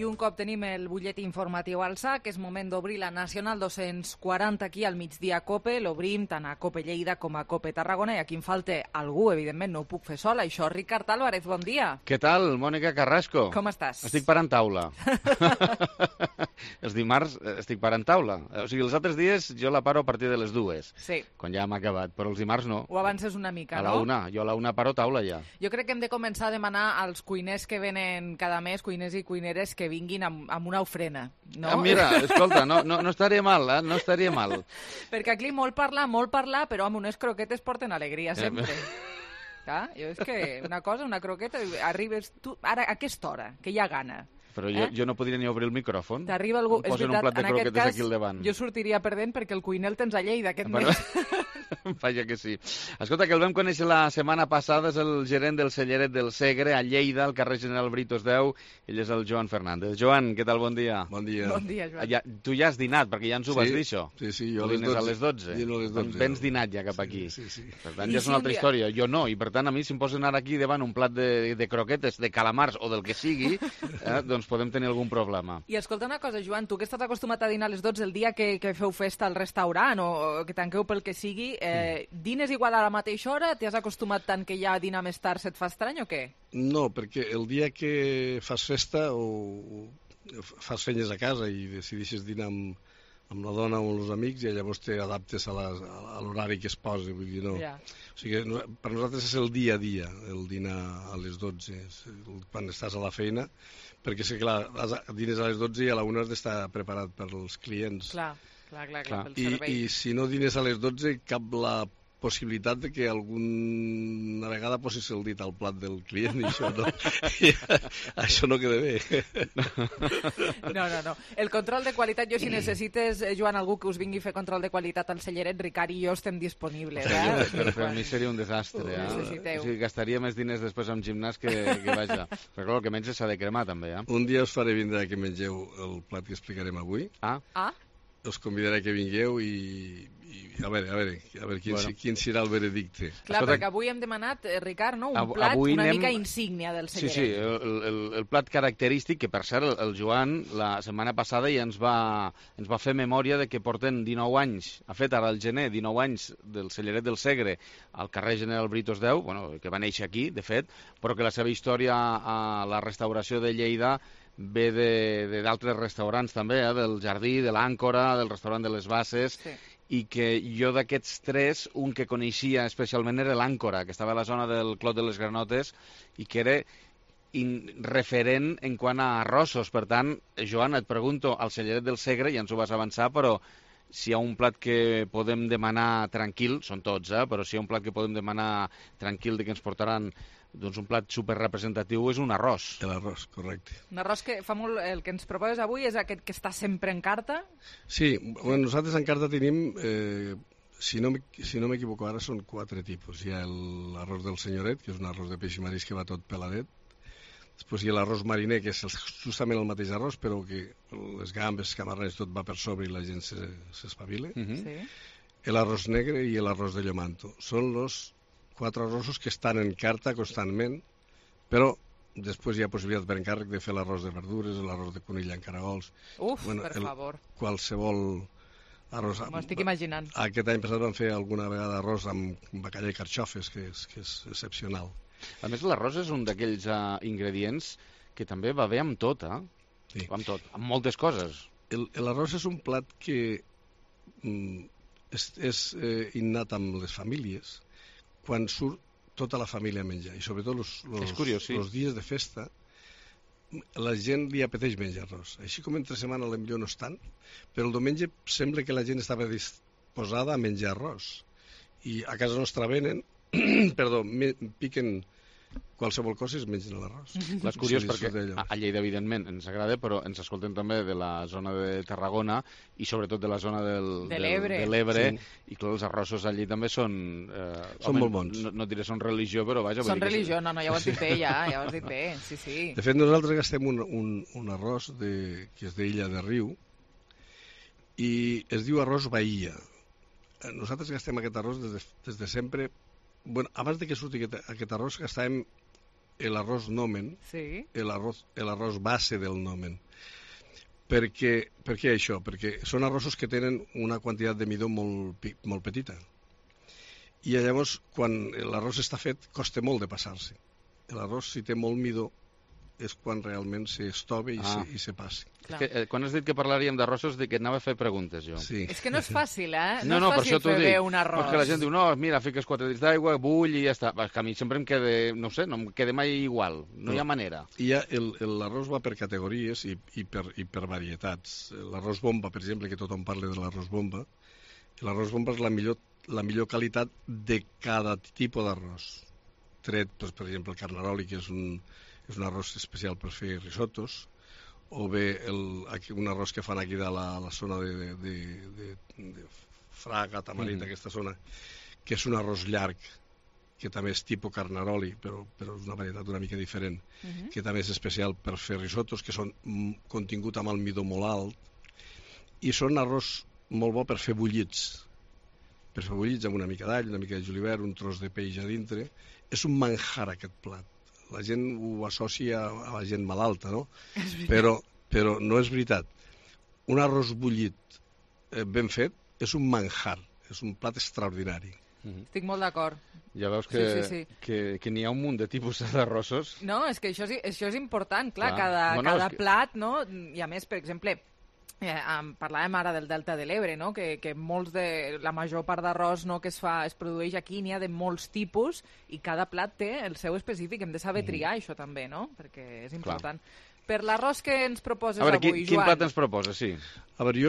un cop tenim el butlletí informatiu al sac, és moment d'obrir la Nacional 240 aquí al migdia a COPE. L'obrim tant a COPE Lleida com a COPE Tarragona, i aquí em falta algú, evidentment no ho puc fer sola. Això, Ricard Álvarez, bon dia. Què tal, Mònica Carrasco? Com estàs? Estic parant taula. Els dimarts estic parant taula. O sigui, els altres dies jo la paro a partir de les 2, sí, quan ja hem acabat, però els dimarts no. Ho avances una mica, a la no? jo a la 1 paro taula ja. Jo crec que hem de començar a demanar als cuiners que venen cada mes, cuiners i cuineres, que vinguin amb una ofrena, no? Mira, escolta, no estaria mal, no estaria mal. Perquè aquí molt parlar, però amb unes croquetes porten alegria sempre. Clar, jo és que una cosa, una croqueta, arribes tu, ara a aquesta hora, que hi ha gana. Però jo no podria ni obrir el micròfon. T'arriba algú... Em posen un plat de croquetes aquí al davant. Jo sortiria perdent perquè el cuiner el tens a Lleida aquest mes. Vaja que sí. Escolta, que el vam conèixer la setmana passada, és el gerent del Celleret del Segre, a Lleida, al carrer General Britos 10. Ell és el Joan Fernández. Joan, què tal? Bon dia. Bon dia. Bon dia, Joan. Tu ja has dinat, perquè ja ens ho vas dir, això. Sí, jo a les 12. Dino a les 12. Vens dinat ja cap aquí. Sí. Per tant, ja és una altra història. Jo no, i per tant, a mi, si em posen ara aquí davant un plat de croquetes, de calamars o del que sigui, doncs podem tenir algun problema. I escolta una cosa, Joan, tu que estàs acostumat a dinar a les 12 el dia que feu festa al restaurant o que tanqueu pel que sigui, dines igual a la mateixa hora? T'has acostumat tant que ja dinar més tard se't fa estrany o què? No, perquè el dia que fas festa o fas feines a casa i decideixes dinar amb la dona o amb els amics, i llavors t'adaptes a l'horari que es posa, vull dir, no. Ja. O sigui, per nosaltres és el dia a dia, el dinar a les 12, quan estàs a la feina, perquè sé que dines a les 12 i a la 1 has d'estar preparat per als clients. Clar, pel servei. I si no dines a les 12, cap la possibilitat de que alguna vegada posis el dit al plat del client, i això no queda bé. No. El control de qualitat, jo si necessites, Joan, algú que us vingui a fer control de qualitat al Celleret, Ricard i jo estem disponibles. Però per mi seria un desastre. O sigui, gastaria més diners després amb gimnàs que vaja. Però clar, el que menys s'ha de cremar, també. Un dia us faré vindre que mengeu el plat que explicarem avui. Us convidaré que vingueu i a veure quin serà el veredicte. Clar, perquè avui hem demanat, Ricard, no? Un plat una mica insígnia del Celleret. Sí, el plat característic, que per cert el Joan la setmana passada ja ens va fer memòria de que porten 19 anys, ha fet ara el gener 19 anys del Celleret del Segre al carrer General Britos 10, que va néixer aquí, de fet, però que la seva història a la restauració de Lleida ve d'altres restaurants també, del Jardí, de l'Àncora, del restaurant de les Basses, i que jo d'aquests 3, un que coneixia especialment era l'Àncora, que estava a la zona del Clot de les Granotes i que era referent en quant a arrossos. Per tant, Joan, et pregunto, al Celleret del Segre, ja ens ho vas avançar, però si hi ha un plat que podem demanar tranquil, són tots, però si hi ha un plat que podem demanar tranquil de que ens portaran doncs un plat superrepresentatiu és un arròs. L'arròs, correcte. Un arròs que fa molt... El que ens proposes avui és aquest que està sempre en carta? Sí, nosaltres en carta tenim, si no m'equivoco ara, són 4 tipus. Hi ha l'arròs del senyoret, que és un arròs de peix i marisc que va tot peladet. Després hi ha l'arròs mariner, que és justament el mateix arròs, però que les gambes, camarrons, tot va per sobre i la gent s'espavila. L'arròs negre i l'arròs de llomanto. Són els 4 arrossos que estan en carta constantment, però després hi ha possibilitat per encàrrec de fer l'arròs de verdures, l'arròs de conill en caragols. Per favor. Qualsevol arròs. M'ho estic imaginant. Aquest any passat vam fer alguna vegada arròs amb bacallà i carxofes, que és excepcional. A més, l'arròs és un d'aquells ingredients que també va bé amb tot, Sí. Amb tot, amb moltes coses. L'arròs és un plat que és innat amb les famílies, quan surt tota la família a menjar, i sobretot els dies de festa, la gent li apeteix menjar arròs. Així com entre setmana potser no és tant, però el diumenge sembla que la gent estava disposada a menjar arròs. I a casa nostra venen, piquen qualsevol cosa i es mengen l'arròs. És curiós perquè a Lleida, evidentment, ens agrada, però ens escolten també de la zona de Tarragona i sobretot de la zona de l'Ebre, i clar, els arrossos allí també són molt bons. No diré són religió, però vaja... Són religió, no, ja ho has dit bé, ja ho has dit bé, sí. De fet, nosaltres gastem un arròs que és d'Illa de Riu i es diu arròs Bahia. Nosaltres gastem aquest arròs des de sempre. Abans que surti aquest arròs gastàvem el arroz nomen, Sí. el arroz base del nomen. Per què això? Perquè són arrossos que tenen una quantitat de midó molt petita. I llavors, quan l'arròs està fet, costa molt de passar-se. L'arròs, si té molt midó, és quan realment s'estova i se passi. Quan has dit que parlaríem d'arrossos, que anava a fer preguntes, jo. Sí. És que no és fàcil, eh? No, és per fàcil això t'ho fer dic. bé un arròs. Perquè la gent diu, no, mira, fiques 4 dits d'aigua, bull i ja està. És que a mi sempre em queda, no sé, no em queda mai igual. No hi ha manera. I l'arròs va per categories i per varietats. L'arròs bomba, per exemple, que tothom parla de l'arròs bomba, l'arròs bomba és la millor qualitat de cada tipus d'arròs. Tret, doncs, per exemple, el carnaroli, que és un arròs especial per fer risotos, o bé un arròs que fan aquí de la zona de Fraga, Tamarit, aquesta zona, que és un arròs llarg, que també és tipus carnaroli, però és una varietat una mica diferent, que també és especial per fer risotos, que són contingut amb almidó molt alt, i són arròs molt bo per fer bullits. Per fer bullits amb una mica d'all, una mica de julivert, un tros de peix a dintre. És un manjar, aquest plat. La gent ho associa a la gent malalta, no? Però no és veritat. Un arròs bullit ben fet és un manjar, és un plat extraordinari. Estic molt d'acord. Ja veus Sí. que n'hi ha un munt de tipus d'arrossos. No, és que això és important, clar, Clar. cada plat, no? I a més, per exemple, parlàvem ara del Delta de l'Ebre, no? Que la major part d'arròs, no, que es produeix aquí n'hi ha de molts tipus i cada plat té el seu específic. Hem de saber triar això també, no? Perquè és important. Per l'arròs que ens proposes avui, avui, quin Joan... plat ens proposes, sí? A veure,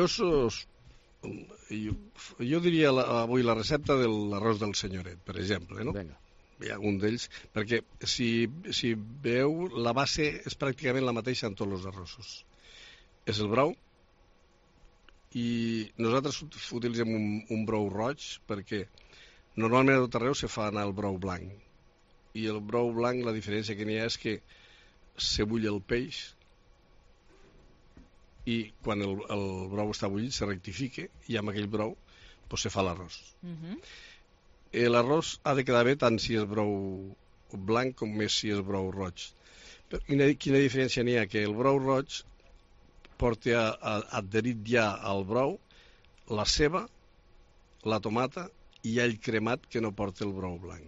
jo diria avui la recepta de l'arròs del senyoret, per exemple, no? Vinga. Hi ha un d'ells, perquè si veieu, la base és pràcticament la mateixa en tots els arrossos. És el brou, i nosaltres utilitzem un brou roig perquè normalment a tot arreu se fa anar el brou blanc, i el brou blanc, la diferència que n'hi ha és que se bull el peix i quan el brou està bullit se rectifica i amb aquell brou pues, se fa l'arròs. L'arròs ha de quedar bé tant si és brou blanc com més si és brou roig. Però quina diferència n'hi ha? Que el brou roig porta adherit ja al brou la ceba, la tomata i all cremat que no porta el brou blanc.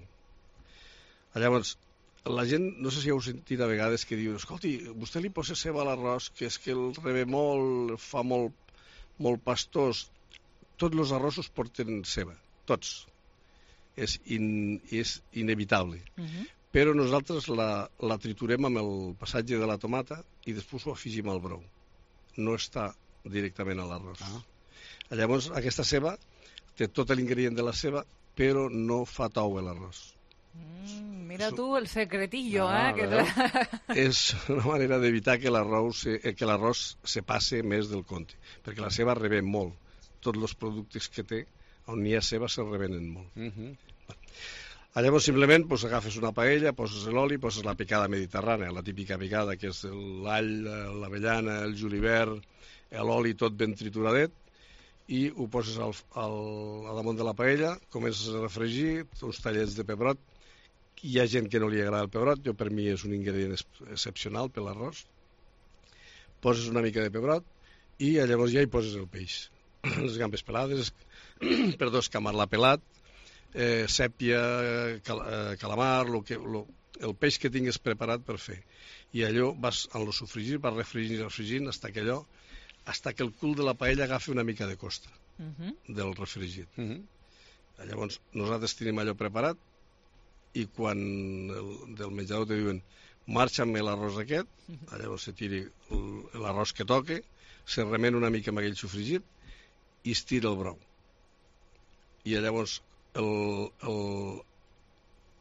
Llavors, la gent, no sé si heu sentit a vegades que diu, escolti, vostè li posa ceba a l'arròs, que és que el rebe molt, fa molt pastós. Tots els arrossos porten ceba, tots. És inevitable. Però nosaltres la triturem amb el passatge de la tomata i després ho afegim al brou. No està directament a l'arròs. Llavors, aquesta ceba té tot l'ingredient de la ceba, però no fa tou a l'arròs. Mira tu el secretillo, És una manera d'evitar que l'arròs se passe més del compte, perquè la ceba revén molt. Tots els productes que té, on n'hi ha ceba, se revenen molt. Llavors, simplement, agafes una paella, poses l'oli, poses la picada mediterrània, la típica picada, que és l'all, l'avellana, el julivert, l'oli tot ben trituradet, i ho poses a damunt de la paella, comences a refregir, uns tallets de pebrot. Hi ha gent que no li agrada el pebrot, per mi és un ingredient excepcional per l'arròs. Poses una mica de pebrot i llavors ja hi poses el peix. Les gambes pelades, escamarlar pelat, sèpia, calamar, el peix que tingues preparat per fer. I allò vas en lo sofregir, vas refregint fins que el cul de la paella agafi una mica de costa del refregit. Llavors nosaltres tenim allò preparat i quan del menjador te diuen marxa amb l'arròs aquest, llavors se tiri l'arròs que toque, se remena una mica amb aquell sofregit i es tira el brou. I llavors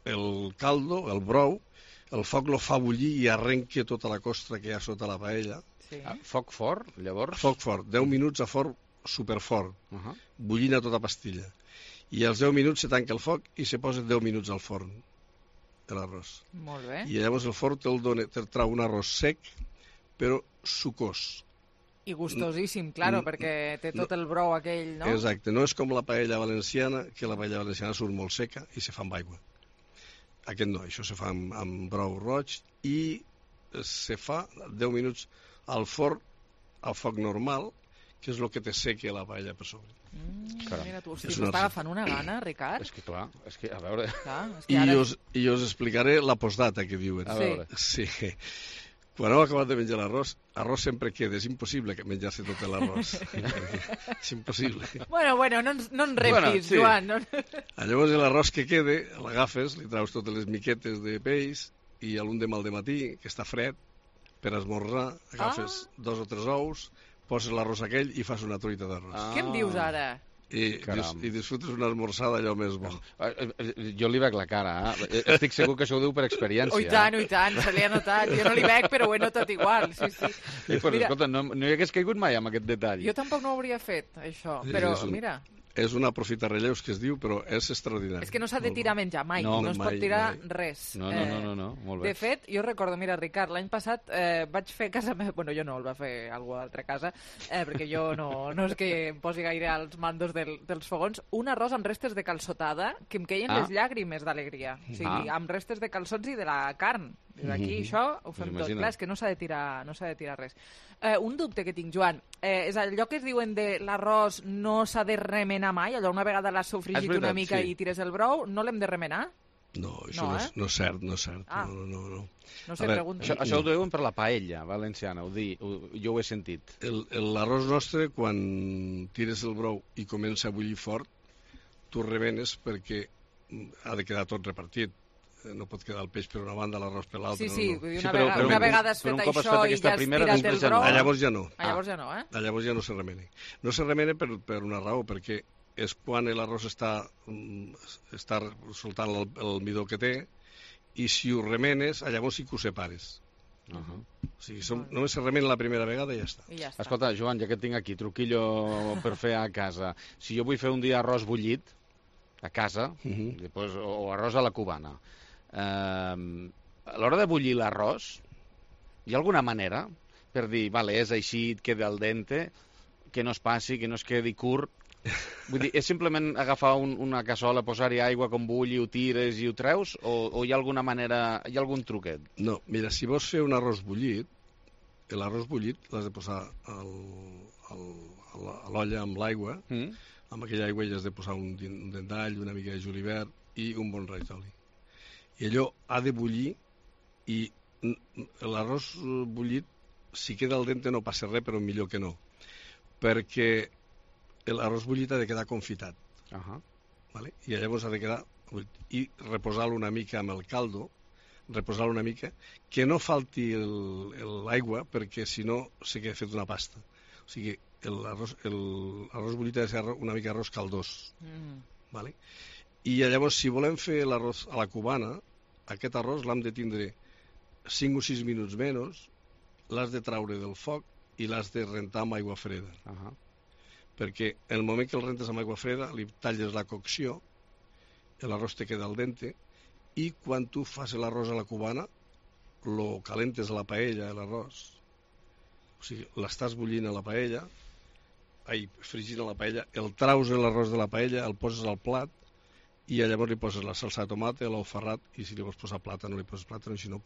el caldo, el brou, el foc lo fa bullir i arrenca tota la costra que hi ha sota la paella. Foc fort, llavors? Foc fort, 10 minuts a foc superfort, bullint a tota pastilla. I als 10 minuts se tanca el foc i se posa 10 minuts al forn, l'arròs. Molt bé. I llavors el forn te'l trau un arròs sec, però sucós. I gustosíssim, claro, perquè té tot el brou aquell, no? Exacte, no és com la paella valenciana, que la paella valenciana surt molt seca i se fa amb aigua. Aquest no, això se fa amb brou roig i se fa 10 minuts al forn, al foc normal, que és el que te seca la paella per sobre. Mira tu, m'està agafant una gana, Ricard. És que clar, a veure... Clar, és que ara... I us explicaré la postdata que diuen. A veure. Sí. Quan heu acabat de menjar l'arròs sempre queda. És impossible menjar-se tot l'arròs. És impossible. Bueno, no ens reptis, sí. Joan. No... Llavors l'arròs que queda, l'agafes, li traus totes les miquetes de peix i a l'un de matí, que està fred, per esmorzar, agafes 2 o 3 ous, poses l'arròs aquell i fas una truita d'arròs. Què em dius ara? I disfrutes una esmorzada allò més bo. Jo li veig la cara, estic segur que això ho diu per experiència. Oh, i tant, se li ha notat. Jo no li veig, però ho he notat igual, sí. Pues, escolta, no hi hagués caigut mai amb aquest detall. Jo tampoc no ho hauria fet, això, però mira... És una aprofitar-relleus que es diu, però és extraordinari. És que no s'ha de tirar menjar mai, no es pot tirar res. No, molt bé. De fet, jo recordo, mira, Ricard, l'any passat vaig fer a casa meva, bueno, jo no, el va fer algú a altra casa, perquè jo no és que em posi gaire als mandos dels fogons, un arròs amb restes de calçotada que em queien les llàgrimes d'alegria. O sigui, amb restes de calçots i de la carn. Aquí això ho fem tot. Clar, és que no s'ha de tirar res. Un dubte que tinc, Joan, és allò que es diuen de l'arròs no s'ha de remenar mai, allò una vegada l'has sofregit una mica i tires el brou, no l'hem de remenar? No, això no és cert, no és cert. No. No sé, pregunto. Això ho diuen per la paella valenciana, jo ho he sentit. L'arròs nostre, quan tires el brou i comença a bullir fort, tu remenes perquè ha de quedar tot repartit. No pot quedar el peix per una banda, l'arròs per l'altra. Sí, una vegada has fet això i ja has tirat el brou... Llavors ja no. Llavors ja no, Llavors ja no se remena. No se remena per una raó, perquè és quan l'arròs està soltant el midó que té, i si ho remenes, llavors sí que ho separes. O sigui, només se remena la primera vegada i ja està. Escolta, Joan, ja que et tinc aquí, truquillo per fer a casa. Si jo vull fer un dia arròs bullit, a casa, o arròs a la cubana, a l'hora de bullir l'arròs, hi ha alguna manera per dir, vale, és així, et queda al dente, que no es passi, que no es quedi curt? Vull dir, és simplement agafar una cassola, posar-hi aigua com bulli, ho tires i ho treus, o hi ha alguna manera, hi ha algun truquet? No, mira, si vols fer un arròs bullit, l'arròs bullit l'has de posar a l'olla amb l'aigua, amb aquella aigua hi has de posar un dent d'all, una mica de julivert i un bon raig d'oli. I allò ha de bullir, i l'arròs bullit, si queda al dente no passa res, però millor que no, perquè l'arròs bullit ha de quedar confitat. Vale? I llavors ha de quedar... I reposar-lo una mica amb el caldo, reposar-lo una mica, que no falti l'aigua, perquè si no se queda fet una pasta. O sigui, l'arròs bullit ha de ser una mica arròs caldós. Vale? I llavors, si volem fer l'arròs a la cubana, aquest arròs l'hem de tindre 5 o 6 minuts menys, l'has de traure del foc i l'has de rentar amb aigua freda. Perquè en el moment que el rentes amb aigua freda, li talles la cocció, l'arròs te queda al dente, i quan tu fas l'arròs a la cubana, lo calentes a la paella, l'arròs. O sigui, l'estàs bullint a la paella, fregint a la paella, el traus l'arròs de la paella, el poses al plat, i llavors li poses la salsa de tomata, l'ou ferrat, i si li vols posar plàtan, no li poses plàtan, i si no,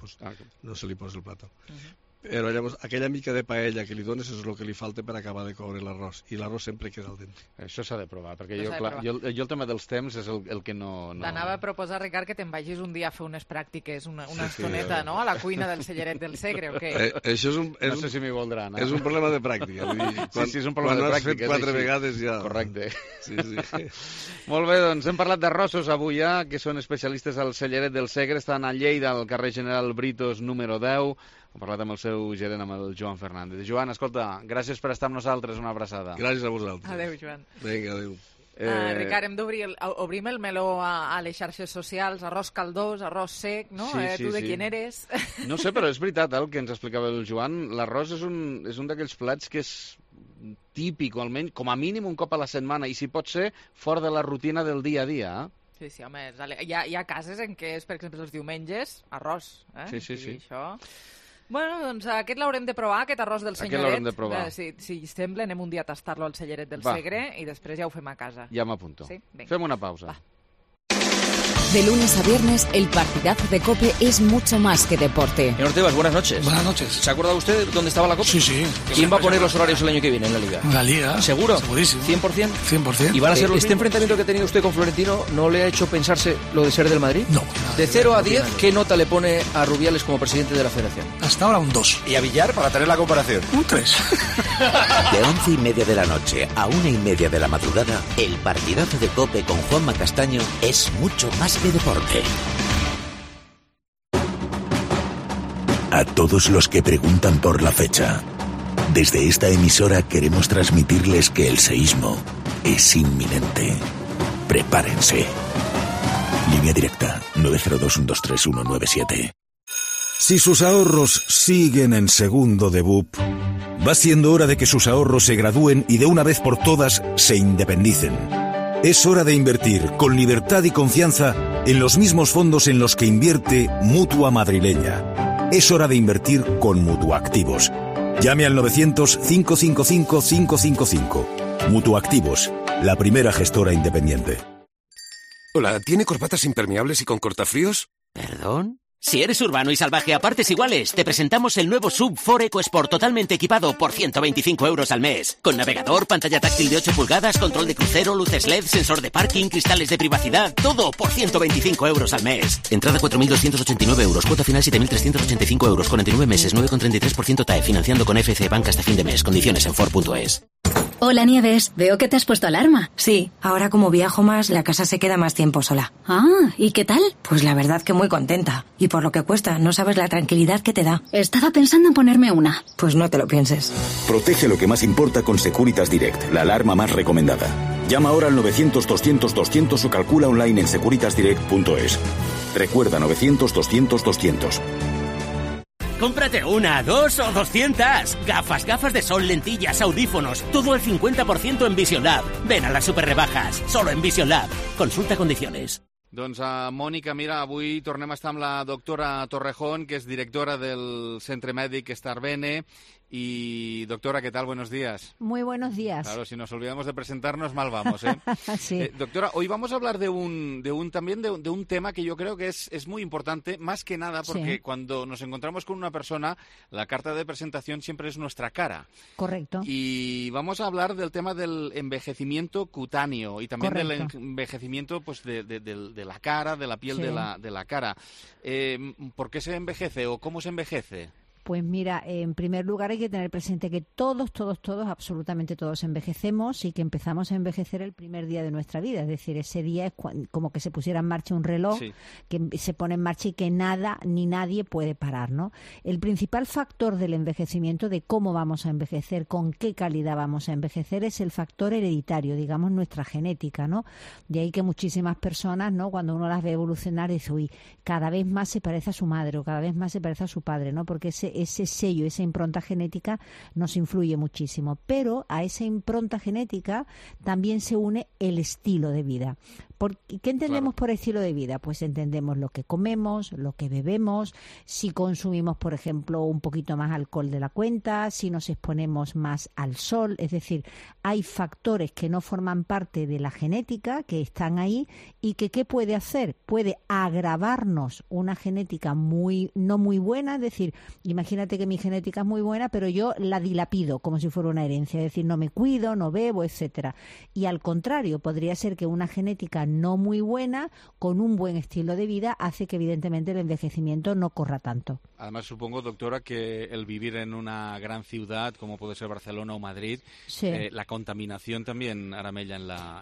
no se li posa el plàtan. Però llavors, aquella mica de paella que li dones és el que li falta per acabar de coure l'arròs, i l'arròs sempre queda al dente. Això s'ha de provar, perquè jo el tema dels temps és el que no... T'anava a proposar, Ricard, que te'n vagis un dia a fer unes pràctiques, una estoneta, no?, a la cuina del Celleret del Segre, o què? Això no sé si m'hi voldran. És un problema de pràctica. Sí, és un problema de pràctica. Quan has fet 4 vegades ja... Correcte. Sí. Molt bé, doncs hem parlat d'arrossos avui ja, que són especialistes al Celleret del Segre, estan a Lleida, al carrer General Britos, número 10. Hem parlat amb el seu gerent, amb el Joan Fernández. Joan, escolta, gràcies per estar amb nosaltres, una abraçada. Gràcies a vosaltres. Adéu, Joan. Vinga, adéu. Ricard, hem obrim el meló a les xarxes socials, arròs caldós, arròs sec, no? Tu de quién eres? No sé, però és veritat el que ens explicava el Joan. L'arròs és un d'aquells plats que és típic, o almenys, com a mínim un cop a la setmana, i si pot ser, fora de la rutina del dia a dia. Sí, home, hi ha cases en què és, per exemple, els diumenges, arròs. Sí. Això... Bueno, doncs aquest l'haurem de provar, aquest arròs del Senyoret. Aquest l'haurem de provar. Si sembla, anem un dia a tastar-lo al Celleret del Segre i després ja ho fem a casa. Ja m'apunto. Sí? Fem una pausa. Va. De lunes a viernes, el partidazo de COPE es mucho más que deporte. Señor Tebas, buenas noches. Buenas noches. ¿Se ha acordado usted dónde estaba la COPE? Sí. ¿Quién va a poner los horarios el año que viene en la Liga? La Liga. ¿Seguro? Segurísimo. ¿100%? 100%. ¿Y van a ser los enfrentamiento que ha tenido usted con Florentino no le ha hecho pensarse lo de ser del Madrid? No. De 0 a 10, ¿qué nota le pone a Rubiales como presidente de la Federación? Hasta ahora un 2. ¿Y a Villar, para tener la comparación? Un 3. De 11:30 de la noche a 1:30 de la madrugada, el partidazo de COPE con Juanma Castaño es mucho más que deporte. A todos los que preguntan por la fecha, desde esta emisora queremos transmitirles que el seísmo es inminente. Prepárense. Línea directa 902-123-197. Si sus ahorros siguen en segundo de BUP, va siendo hora de que sus ahorros se gradúen y de una vez por todas se independicen. Es hora de invertir con libertad y confianza en los mismos fondos en los que invierte Mutua Madrileña. Es hora de invertir con Mutuactivos. Llame al 900-555-555. Mutuactivos, la primera gestora independiente. Hola, ¿tiene corbatas impermeables y con cortafríos? ¿Perdón? Si eres urbano y salvaje a partes iguales, te presentamos el nuevo SUV 4 EcoSport totalmente equipado por 125 euros al mes. Con navegador, pantalla táctil de 8 pulgadas, control de crucero, luces LED, sensor de parking, cristales de privacidad, todo por 125 euros al mes. Entrada 4.289 euros, cuota final 7.385 euros, 49 meses, 9,33% TAE, financiando con FC Bank hasta fin de mes. Condiciones en Ford.es. Hola Nieves, veo que te has puesto alarma. Sí, ahora como viajo más, la casa se queda más tiempo sola. Ah, ¿y qué tal? Pues la verdad que muy contenta. Y por lo que cuesta, no sabes la tranquilidad que te da. Estaba pensando en ponerme una. Pues no te lo pienses. Protege lo que más importa con Securitas Direct, la alarma más recomendada. Llama ahora al 900-200-200 o calcula online en securitasdirect.es. Recuerda 900-200-200. Cómprate una, 2 o 200. Gafas de sol, lentillas, audífonos. Todo al 50% en Vision Lab. Ven a las super rebajas. Solo en Vision Lab. Consulta condiciones. Doncs, Mònica, mira, avui tornem a estar amb la doctora Torrejón, que és directora del Centre Mèdic Starbene. Y, doctora, ¿qué tal? Buenos días. Muy buenos días. Claro, si nos olvidamos de presentarnos, mal vamos, ¿eh? Sí. Doctora, hoy vamos a hablar de un tema que yo creo que es muy importante, más que nada porque Sí. cuando nos encontramos con una persona, la carta de presentación siempre es nuestra cara. Correcto. Y vamos a hablar del tema del envejecimiento cutáneo y también Correcto. del envejecimiento pues de la cara, de la piel Sí. de la cara. ¿Por qué se envejece o cómo se envejece? Pues mira, en primer lugar hay que tener presente que todos, absolutamente todos envejecemos y que empezamos a envejecer el primer día de nuestra vida. Es decir, ese día es como que se pusiera en marcha un reloj, Sí. que se pone en marcha y que nada ni nadie puede parar, ¿no? El principal factor del envejecimiento, de cómo vamos a envejecer, con qué calidad vamos a envejecer, es el factor hereditario, digamos, nuestra genética, ¿no? De ahí que muchísimas personas, ¿no?, cuando uno las ve evolucionar, dice, uy, cada vez más se parece a su madre o cada vez más se parece a su padre, ¿no? Porque ese sello, esa impronta genética nos influye muchísimo. Pero a esa impronta genética también se une el estilo de vida. ¿Qué entendemos por estilo de vida? Pues entendemos lo que comemos, lo que bebemos, si consumimos, por ejemplo, un poquito más alcohol de la cuenta, si nos exponemos más al sol. Es decir, hay factores que no forman parte de la genética, que están ahí y que ¿qué puede hacer? Puede agravarnos una genética no muy buena. Es decir, imagínate que mi genética es muy buena, pero yo la dilapido como si fuera una herencia. Es decir, no me cuido, no bebo, etcétera. Y al contrario, podría ser que una genética no muy buena, con un buen estilo de vida, hace que evidentemente el envejecimiento no corra tanto. Además, supongo, doctora, que el vivir en una gran ciudad, como puede ser Barcelona o Madrid, Sí. La contaminación también aramella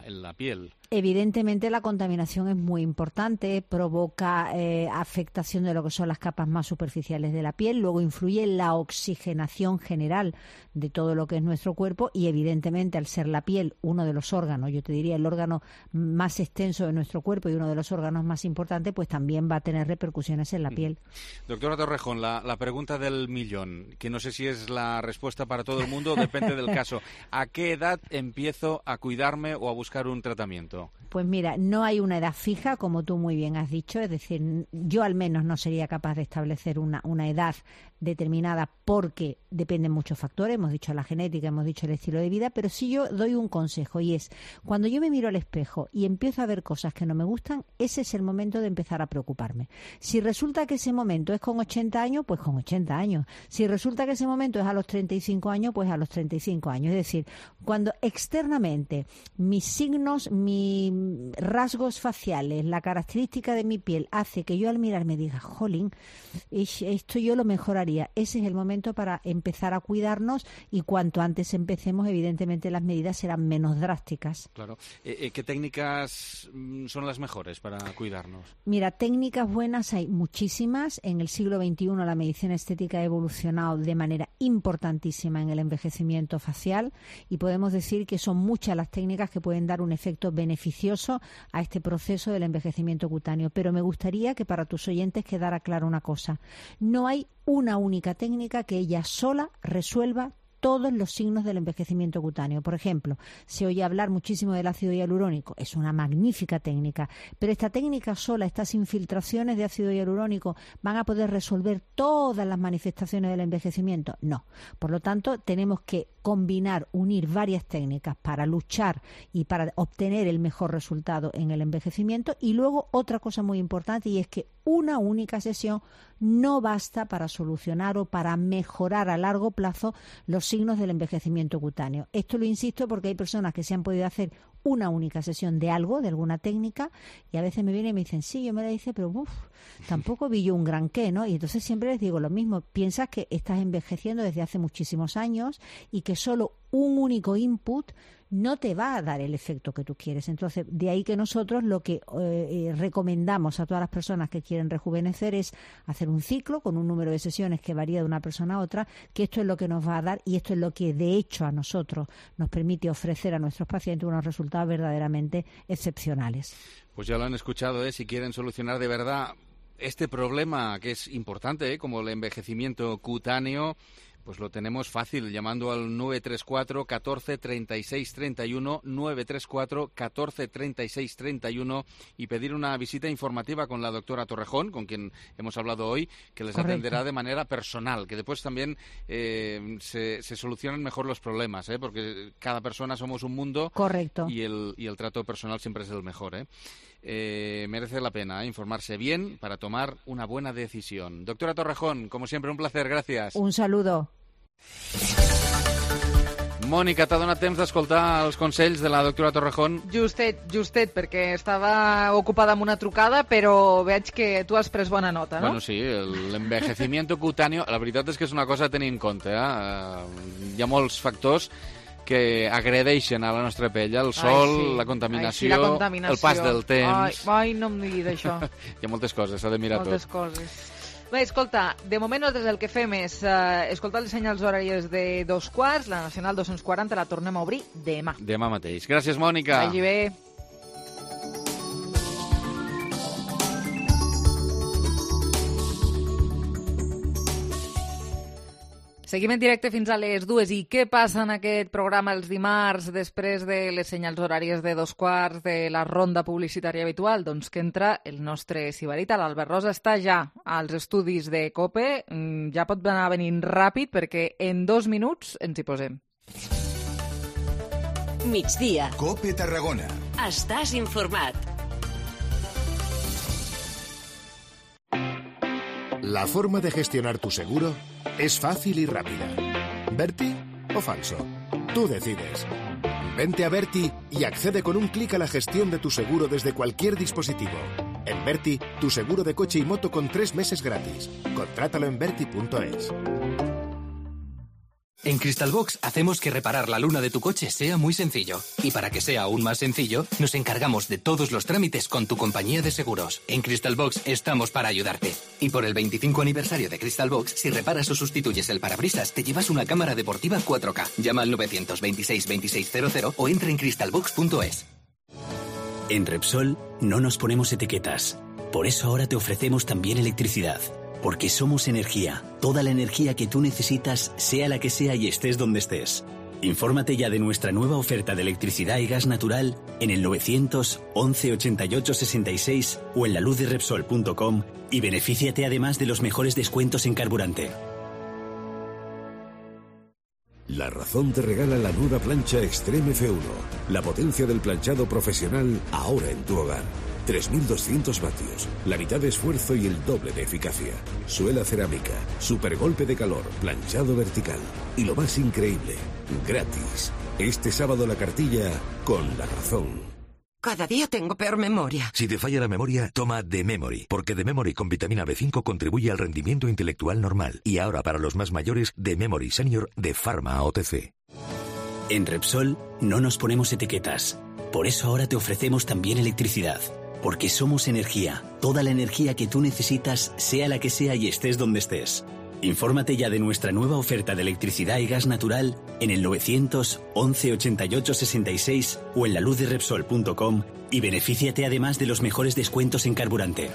en la piel. Evidentemente la contaminación es muy importante, provoca afectación de lo que son las capas más superficiales de la piel, luego influye en la oxigenación general de todo lo que es nuestro cuerpo y evidentemente al ser la piel uno de los órganos, yo te diría el órgano más extenso de nuestro cuerpo y uno de los órganos más importantes, pues también va a tener repercusiones en la piel. Doctora Torrejón, la pregunta del millón, que no sé si es la respuesta para todo el mundo, depende del caso. ¿A qué edad empiezo a cuidarme o a buscar un tratamiento? Pues mira, no hay una edad fija, como tú muy bien has dicho, es decir, yo al menos no sería capaz de establecer una edad determinada porque dependen muchos factores, hemos dicho la genética, hemos dicho el estilo de vida, pero sí yo doy un consejo y es, cuando yo me miro al espejo y empiezo a ver cosas que no me gustan, ese es el momento de empezar a preocuparme. Si resulta que ese momento es con 80 años, pues con 80 años. Si resulta que ese momento es a los 35 años, pues a los 35 años. Es decir, cuando externamente mis signos, mis rasgos faciales, la característica de mi piel hace que yo al mirar me diga, jolín, esto yo lo mejoraría. Ese es el momento para empezar a cuidarnos y cuanto antes empecemos, evidentemente las medidas serán menos drásticas. Claro. ¿Qué técnicas son las mejores para cuidarnos? Mira, técnicas buenas hay muchísimas. En el siglo XXI la medicina estética ha evolucionado de manera importantísima en el envejecimiento facial y podemos decir que son muchas las técnicas que pueden dar un efecto beneficioso a este proceso del envejecimiento cutáneo. Pero me gustaría que para tus oyentes quedara clara una cosa. No hay una única técnica que ella sola resuelva todos los signos del envejecimiento cutáneo. Por ejemplo, se oye hablar muchísimo del ácido hialurónico. Es una magnífica técnica, pero esta técnica sola, estas infiltraciones de ácido hialurónico, ¿van a poder resolver todas las manifestaciones del envejecimiento? No. Por lo tanto, tenemos que combinar, unir varias técnicas para luchar y para obtener el mejor resultado en el envejecimiento. Y luego otra cosa muy importante, y es que una única sesión no basta para solucionar o para mejorar a largo plazo los signos del envejecimiento cutáneo. Esto lo insisto porque hay personas que se han podido hacer una única sesión de algo, de alguna técnica, y a veces me vienen y me dicen, sí, yo me la hice, pero tampoco vi yo un gran qué, ¿no? Y entonces siempre les digo lo mismo, piensas que estás envejeciendo desde hace muchísimos años y que solo un único input no te va a dar el efecto que tú quieres. Entonces, de ahí que nosotros lo que recomendamos a todas las personas que quieren rejuvenecer es hacer un ciclo con un número de sesiones que varía de una persona a otra, que esto es lo que nos va a dar y esto es lo que de hecho a nosotros nos permite ofrecer a nuestros pacientes unos resultados verdaderamente excepcionales. Pues ya lo han escuchado, si quieren solucionar de verdad este problema que es importante, como el envejecimiento cutáneo, pues lo tenemos fácil, llamando al 934 14 36 31, 934 14 36 31 y pedir una visita informativa con la doctora Torrejón, con quien hemos hablado hoy, que les atenderá de manera personal, que después también se solucionan mejor los problemas, porque cada persona somos un mundo. Correcto. Y el trato personal siempre es el mejor. Merece la pena informarse bien para tomar una buena decisión. Doctora Torrejón, como siempre, un placer, gracias. Un saludo. Mònica, t'ha donat temps d'escoltar els consells de la doctora Torrejón? Justet, perquè estava ocupada amb una trucada, però veig que tu has pres bona nota, no? Bueno, sí, l'envejecimiento cutáneo, la veritat és que és una cosa a tenir en compte. Hi ha molts factors que agredeixen a la nostra pell, el sol, la contaminació, el pas del temps... Ai, no em diguis això. Hi ha moltes coses, s'ha de mirar moltes tot. Moltes coses. Bé, escolta, de moment nosaltres el que fem és escoltar els senyals horaris de 2:15, la Nacional 240 la tornem a obrir demà. Demà mateix. Gràcies, Mònica. Vagi bé. Seguim en directe fins a les 2. I què passa en aquest programa els dimarts després de les senyals horàries de 2:15 de la ronda publicitària habitual? Doncs que entra el nostre sibarita. L'Albert Rosa està ja als estudis de COPE. Ja pot anar venint ràpid perquè en 2 minuts ens hi posem. Migdia. COPE Tarragona. Estàs informat. La forma de gestionar tu seguro es fácil y rápida. ¿Berti o falso? Tú decides. Vente a Berti y accede con un clic a la gestión de tu seguro desde cualquier dispositivo. En Berti, tu seguro de coche y moto con 3 meses gratis. Contrátalo en berti.es. En Crystalbox hacemos que reparar la luna de tu coche sea muy sencillo. Y para que sea aún más sencillo, nos encargamos de todos los trámites con tu compañía de seguros. En Crystalbox estamos para ayudarte. Y por el 25 aniversario de Crystalbox, si reparas o sustituyes el parabrisas, te llevas una cámara deportiva 4K. Llama al 926 2600 o entra en crystalbox.es. En Repsol no nos ponemos etiquetas. Por eso ahora te ofrecemos también electricidad. Porque somos energía. Toda la energía que tú necesitas, sea la que sea y estés donde estés. Infórmate ya de nuestra nueva oferta de electricidad y gas natural en el 911 88 66 o en laluzderepsol.com y benefíciate además de los mejores descuentos en carburante. La Razón te regala la nueva plancha Extreme F1, la potencia del planchado profesional ahora en tu hogar. 3.200 vatios, la mitad de esfuerzo y el doble de eficacia. Suela cerámica, super golpe de calor, planchado vertical. Y lo más increíble, gratis. Este sábado la cartilla con La Razón. Cada día tengo peor memoria. Si te falla la memoria, toma The Memory, porque The Memory con vitamina B5 contribuye al rendimiento intelectual normal. Y ahora para los más mayores, The Memory Senior de Pharma OTC. En Repsol no nos ponemos etiquetas. Por eso ahora te ofrecemos también electricidad. Porque somos energía. Toda la energía que tú necesitas, sea la que sea y estés donde estés. Infórmate ya de nuestra nueva oferta de electricidad y gas natural en el 911 88 66 o en laluzderepsol.com y benefíciate además de los mejores descuentos en carburante.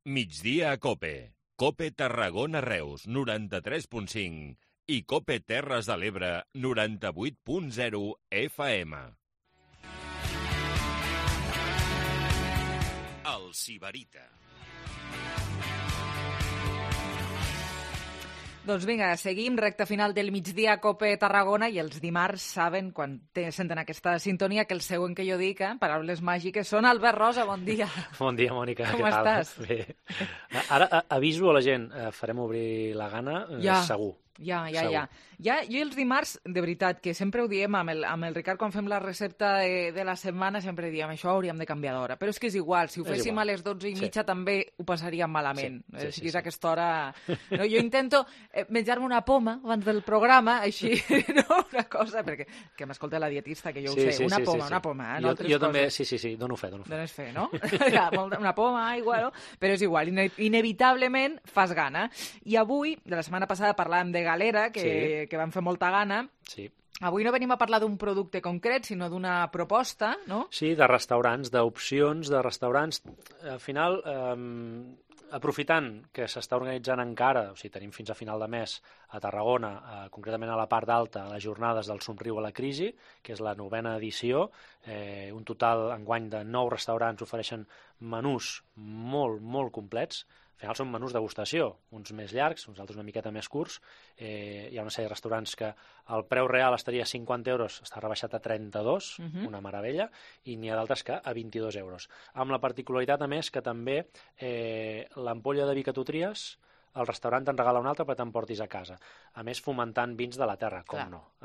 Migdia a Cope. Cope Tarragona Reus, 93.5 i Cope Terres de l'Ebre, 98.0 FM. El Sibarita. Doncs vinga, seguim, recta final del migdia a Cope Tarragona i els dimarts saben, quan senten aquesta sintonia, que el següent que jo dic, paraules màgiques, són Albert Rosa, bon dia. Bon dia, Mònica, com què tal? estàs? Bé. Ara aviso a la gent, farem obrir la gana, segur. Ja. Jo els dimarts, de veritat, que sempre ho diem amb el Ricard quan fem la recepta de la setmana, sempre diem això hauríem de canviar d'hora. Però és que és igual, si ho féssim a les 12:30 també ho passaríem malament. Si és a aquesta hora... No, jo intento menjar-me una poma abans del programa, així, no? Una cosa, perquè que m'escolta la dietista, que jo ho sé, una poma, no altres jo també, coses. sí, dono fe. Dones fe, no? Una poma, aigua, no? Però és igual, inevitablement fas gana. I avui, de la setmana passada, parlàvem de galera, que vam fer molta gana. Sí. Avui no venim a parlar d'un producte concret, sinó d'una proposta, no? Sí, de restaurants, d'opcions de restaurants. Al final, aprofitant que s'està organitzant encara, o sigui, tenim fins a final de mes a Tarragona, concretament a la part alta, les jornades del Somriu a la crisi, que és la 9ª edició, un total enguany de 9 restaurants ofereixen menús molt, molt complets. Al final són menús degustació, uns més llargs, uns altres una miqueta més curts. Hi ha una sèrie de restaurants que el preu real estaria a 50 euros, està rebaixat a 32, una meravella, i n'hi ha d'altres que a 22 euros. Amb la particularitat, a més, que també l'ampolla de vi que tu tries, el restaurant te'n regala una altra perquè t'emportis a casa. A més, fomentant vins de la terra, com no.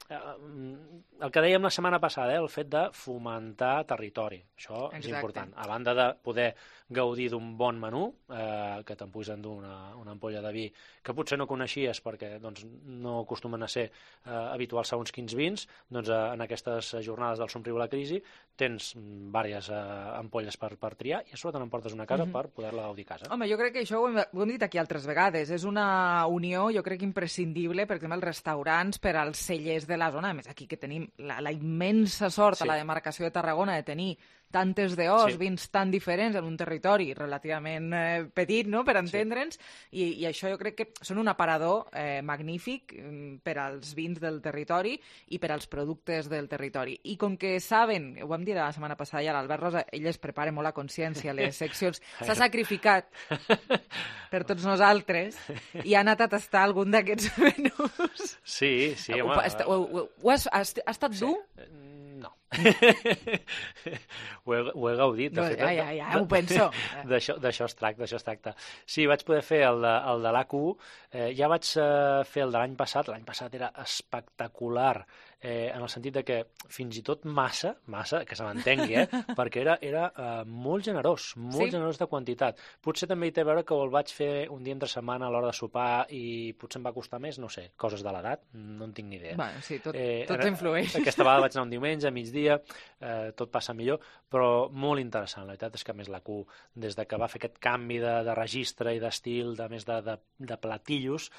El que dèiem la setmana passada, el fet de fomentar territori, això és important. A banda de poder gaudir d'un bon menú, que te'n puguis endur una ampolla de vi que potser no coneixies perquè no acostumen a ser habituals segons quins vins, doncs en aquestes jornades del Somriu a la crisi tens diverses ampolles per triar i a sobre te n'emportes una casa per poder-la gaudir a casa. Home, jo crec que això ho hem dit aquí altres vegades. És una unió, jo crec, imprescindible, per exemple, els restaurants per als cellers de la zona. A més, aquí que tenim la immensa sort a la demarcació de Tarragona de tenir tantes d'os, vins tan diferents en un territori relativament petit, no?, per entendre'ns, i això jo crec que són un aparador magnífic per als vins del territori i per als productes del territori. I com que saben, ho vam dir la setmana passada ja, l'Albert Rosa, ell es prepara molt a consciència les seccions, s'ha sacrificat per tots nosaltres i ha anat a tastar algun d'aquests menús. Sí, home. Ha estat dur? No. Ho he gaudit. Ja, ho penso. D'això es tracta. Sí, vaig poder fer el de l'AQ1, ja vaig fer el de l'any passat. L'any passat era espectacular, en el sentit de que fins i tot massa, que se m'entengui, perquè era molt generós de quantitat. Potser també hi té a veure que el vaig fer un dia entre setmana a l'hora de sopar i potser em va costar més, no sé, coses de l'edat, no en tinc ni idea. Bueno, sí, tot influeix. Aquesta vegada vaig anar un diumenge, a migdia, tot passa millor, però molt interessant. La veritat és que, a més, la Q, des de que va fer aquest canvi de registre i d'estil, de més de platillos,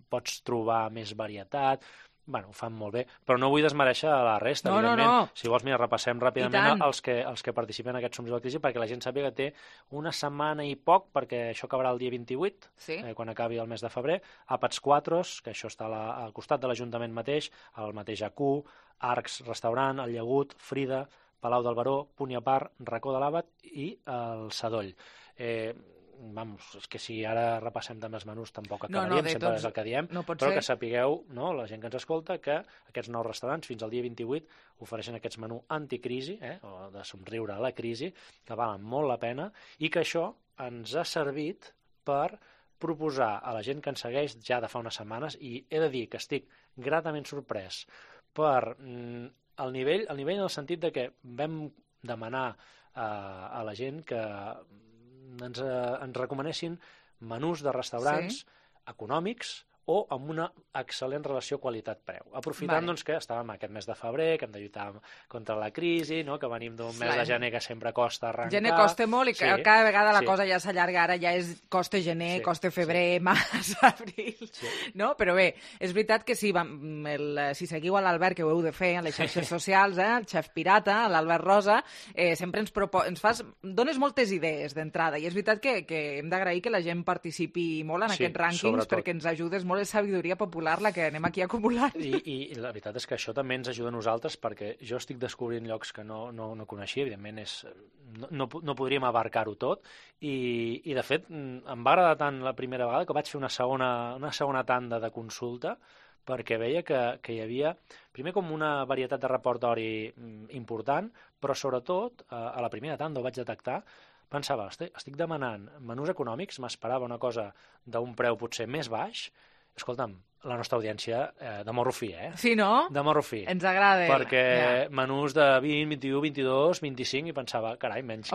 pots trobar més varietat. Bueno, ho fan molt bé, però no vull desmereixer la resta, evidentment. No. Si vols, mira, repassem ràpidament els que participen en aquest Somriu a la crisi perquè la gent sàpiga que té una setmana i poc, perquè això acabarà el dia 28, quan acabi el mes de febrer, Àpats 4, que això està al costat de l'Ajuntament mateix, el mateix AQ, Arcs Restaurant, el Llagut, Frida, Palau del Baró, Punt i a Part, Racó de l'Àbat i el Sadoll. és que si ara repassem també els menús tampoc acabaríem, sempre és el que diem, però que sapigueu, la gent que ens escolta, que aquests nous restaurants fins al dia 28 ofereixen aquests menús anticrisi, o de somriure a la crisi, que valen molt la pena, i que això ens ha servit per proposar a la gent que ens segueix ja de fa unes setmanes, i he de dir que estic gratament sorprès per el nivell en el sentit de que vam demanar a la gent que ens recomanessin menús de restaurants econòmics o amb una excel·lent relació qualitat-preu. Aprofitant que estàvem aquest mes de febrer, que hem de lluitar contra la crisi, que venim d'un mes de gener que sempre costa arrencar. Gener costa molt i cada vegada la cosa ja s'allarga, ara ja és costa gener, costa febrer, març, abril, no? Però bé, és veritat que si seguiu a l'Albert, que ho heu de fer a les xarxes socials, el xef pirata, l'Albert Rosa, sempre dones moltes idees d'entrada, i és veritat que hem d'agrair que la gent participi molt en aquests rànquings, perquè ens ajudes molt, és sabidoria popular la que anem aquí acumulant. I la veritat és que això també ens ajuda a nosaltres, perquè jo estic descobrint llocs que no coneixia, evidentment no podríem abarcar-ho tot, i de fet em va agradar tant la primera vegada que vaig fer una segona tanda de consulta, perquè veia que hi havia, primer, com una varietat de repertori important, però sobretot, a la primera tanda ho vaig detectar, pensava, estic demanant menús econòmics, m'esperava una cosa d'un preu potser més baix. Escolta'm, la nostra audiència de morro fi, Sí, no? De morro fi. Ens agrada. Perquè menús de 20, 21, 22, 25, i pensava, carai, menys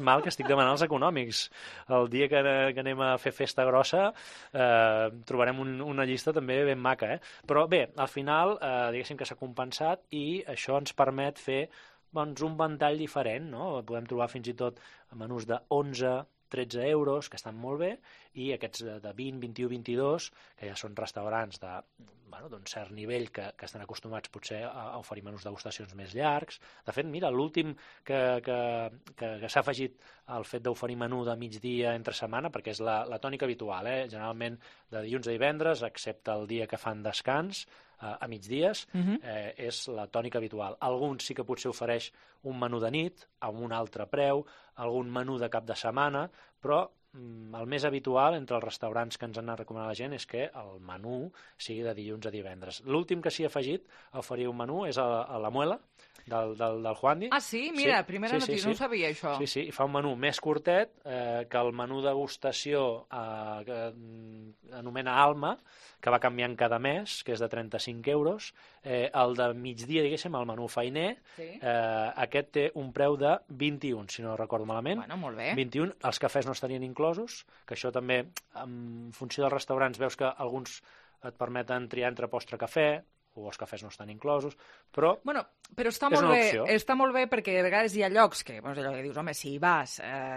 mal que estic demanant els econòmics. El dia que anem a fer festa grossa trobarem una llista també ben maca, Però bé, al final, diguéssim que s'ha compensat, i això ens permet fer un ventall diferent, no? Podem trobar fins i tot menús de 11, 13 euros, que estan molt bé, i aquests de 20, 21, 22, que ja són restaurants d'un cert nivell que estan acostumats potser a oferir menús degustacions més llargs. De fet, mira, l'últim que s'ha afegit al fet d'oferir menú de migdia entre setmana, perquè és la tònica habitual, generalment de dilluns a divendres, excepte el dia que fan descans, a migdies, és la tònica habitual. Alguns sí que potser ofereix un menú de nit, amb un altre preu, algun menú de cap de setmana, però el més habitual entre els restaurants que ens han recomanat la gent és que el menú sigui de dilluns a divendres. L'últim que s'hi ha afegit a oferir un menú és a la Muela, del Juandi. Ah, sí? Mira, primera notícia, no ho sabia, això. Sí, i fa un menú més curtet que el menú degustació que anomena Alma, que va canviant cada mes, que és de 35 euros. El de migdia, diguéssim, el menú feiner, aquest té un preu de 21, si no recordo malament. Bueno, molt bé. 21, els cafès no estarien inclosos, que això també, en funció dels restaurants, veus que alguns et permeten triar entre postre cafè, o els cafès no estan inclosos, però però està molt bé perquè de vegades hi ha llocs que, allò que dius, home, si hi vas,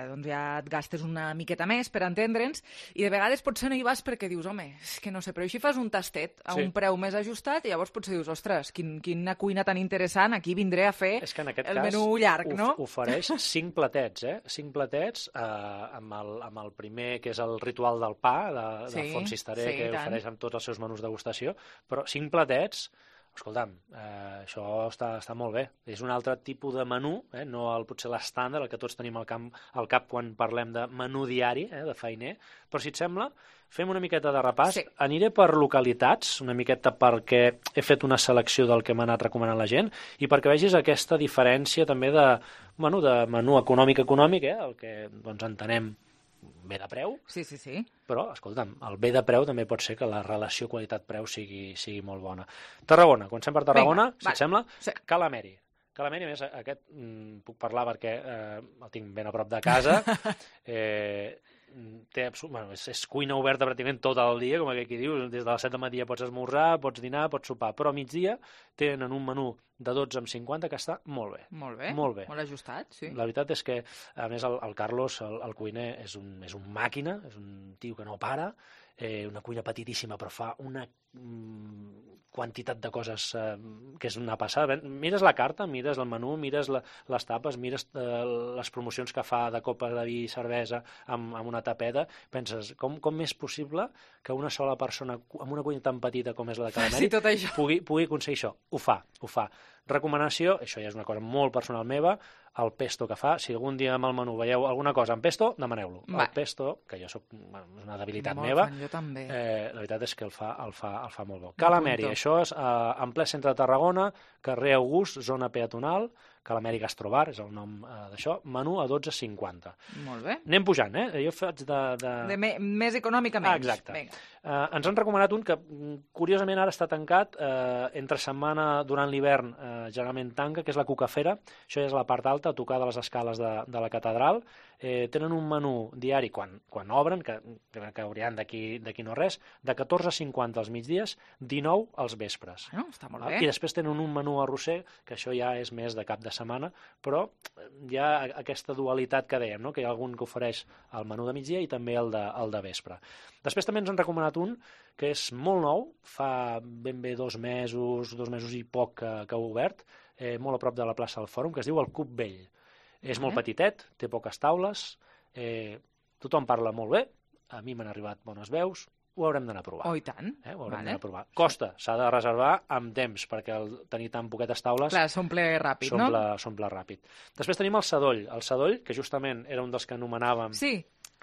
doncs ja et gastes una miqueta més per entendre'ns, i de vegades potser no hi vas perquè dius, home, és que no sé, però així fas un tastet a un preu més ajustat i llavors potser dius, ostres, quina cuina tan interessant, aquí vindré a fer el menú llarg, no? Ofereix 5 platets, 5 platets amb el primer, que és el ritual del pa, de Font Cisteré, que ofereix amb tots els seus menús degustació, però 5 platets. Escolta'm, això està molt bé. És un altre tipus de menú, no potser l'estàndard, el que tots tenim al cap quan parlem de menú diari, de feiner, però si et sembla, fem una miqueta de repàs. Sí. Aniré per localitats, una miqueta perquè he fet una selecció del que m'ha anat recomanant la gent i perquè vegis aquesta diferència també de menú econòmic, el que entenem bé de preu, sí. Però, escolta'm, el bé de preu també pot ser que la relació qualitat-preu sigui molt bona. Tarragona, comencem per Tarragona, si et sembla. Sí. Calameri, a més, aquest puc parlar perquè el tinc ben a prop de casa. És cuina oberta pràcticament tot el dia, com aquí diu, des de les 7 del matí pots esmorzar, pots dinar, pots sopar, però a migdia tenen un menú de 12,50 que està molt bé. Molt ajustat, sí. La veritat és que, a més, el Carlos, el cuiner, és un màquina, és un tio que no para, una cuina petitíssima, però fa una quantitat de coses que és una passada. Mires la carta, mires el menú, mires les tapes, mires les promocions que fa de copes de vi i cervesa amb una tapeta, penses, com és possible que una sola persona amb una cuina tan petita com és la de Calameri pugui aconseguir això? Ho fa. Recomanació, això ja és una cosa molt personal meva, el pesto que fa. Si algun dia amb el menú veieu alguna cosa amb pesto, demaneu-lo. El pesto, que jo soc una debilitat meva, jo també. la veritat és que el fa molt bo. Calameri, això és en ple centre de Tarragona, carrer August, zona peatonal, Calameri Gastrobar, és el nom d'això, menú a 12,50. Molt bé. Anem pujant, Jo faig més econòmic a menys. Exacte. Ens han recomanat un que, curiosament, ara està tancat, entre setmana, durant l'hivern, generalment tanca, que és la Cucafera. Això ja és la part alta, a tocar de les escales de la catedral. Tenen un menú diari, quan obren, que hauran d'aquí no res, de 14,50 als migdies, 19 als vespres. Està molt bé. I després tenen un menú arrosser, que això ja és més de cap de setmana, però hi ha aquesta dualitat que dèiem, no? Que hi ha algun que ofereix el menú de migdia i també el de vespre. Després també ens han recomanat un que és molt nou, fa ben bé 2 mesos i poc que ha obert, molt a prop de la plaça del Fòrum, que es diu el Cup Vell. És molt petitet, té poques taules, tothom parla molt bé, a mi m'han arribat bones veus, ho haurem d'anar a provar. Oh, i tant. Ho haurem d'anar a provar. Costa, s'ha de reservar amb temps, perquè tenir tan poquetes taules... Clar, s'omple ràpid, no? S'omple ràpid. Després tenim el Sadoll, que justament era un dels que anomenàvem... Sí,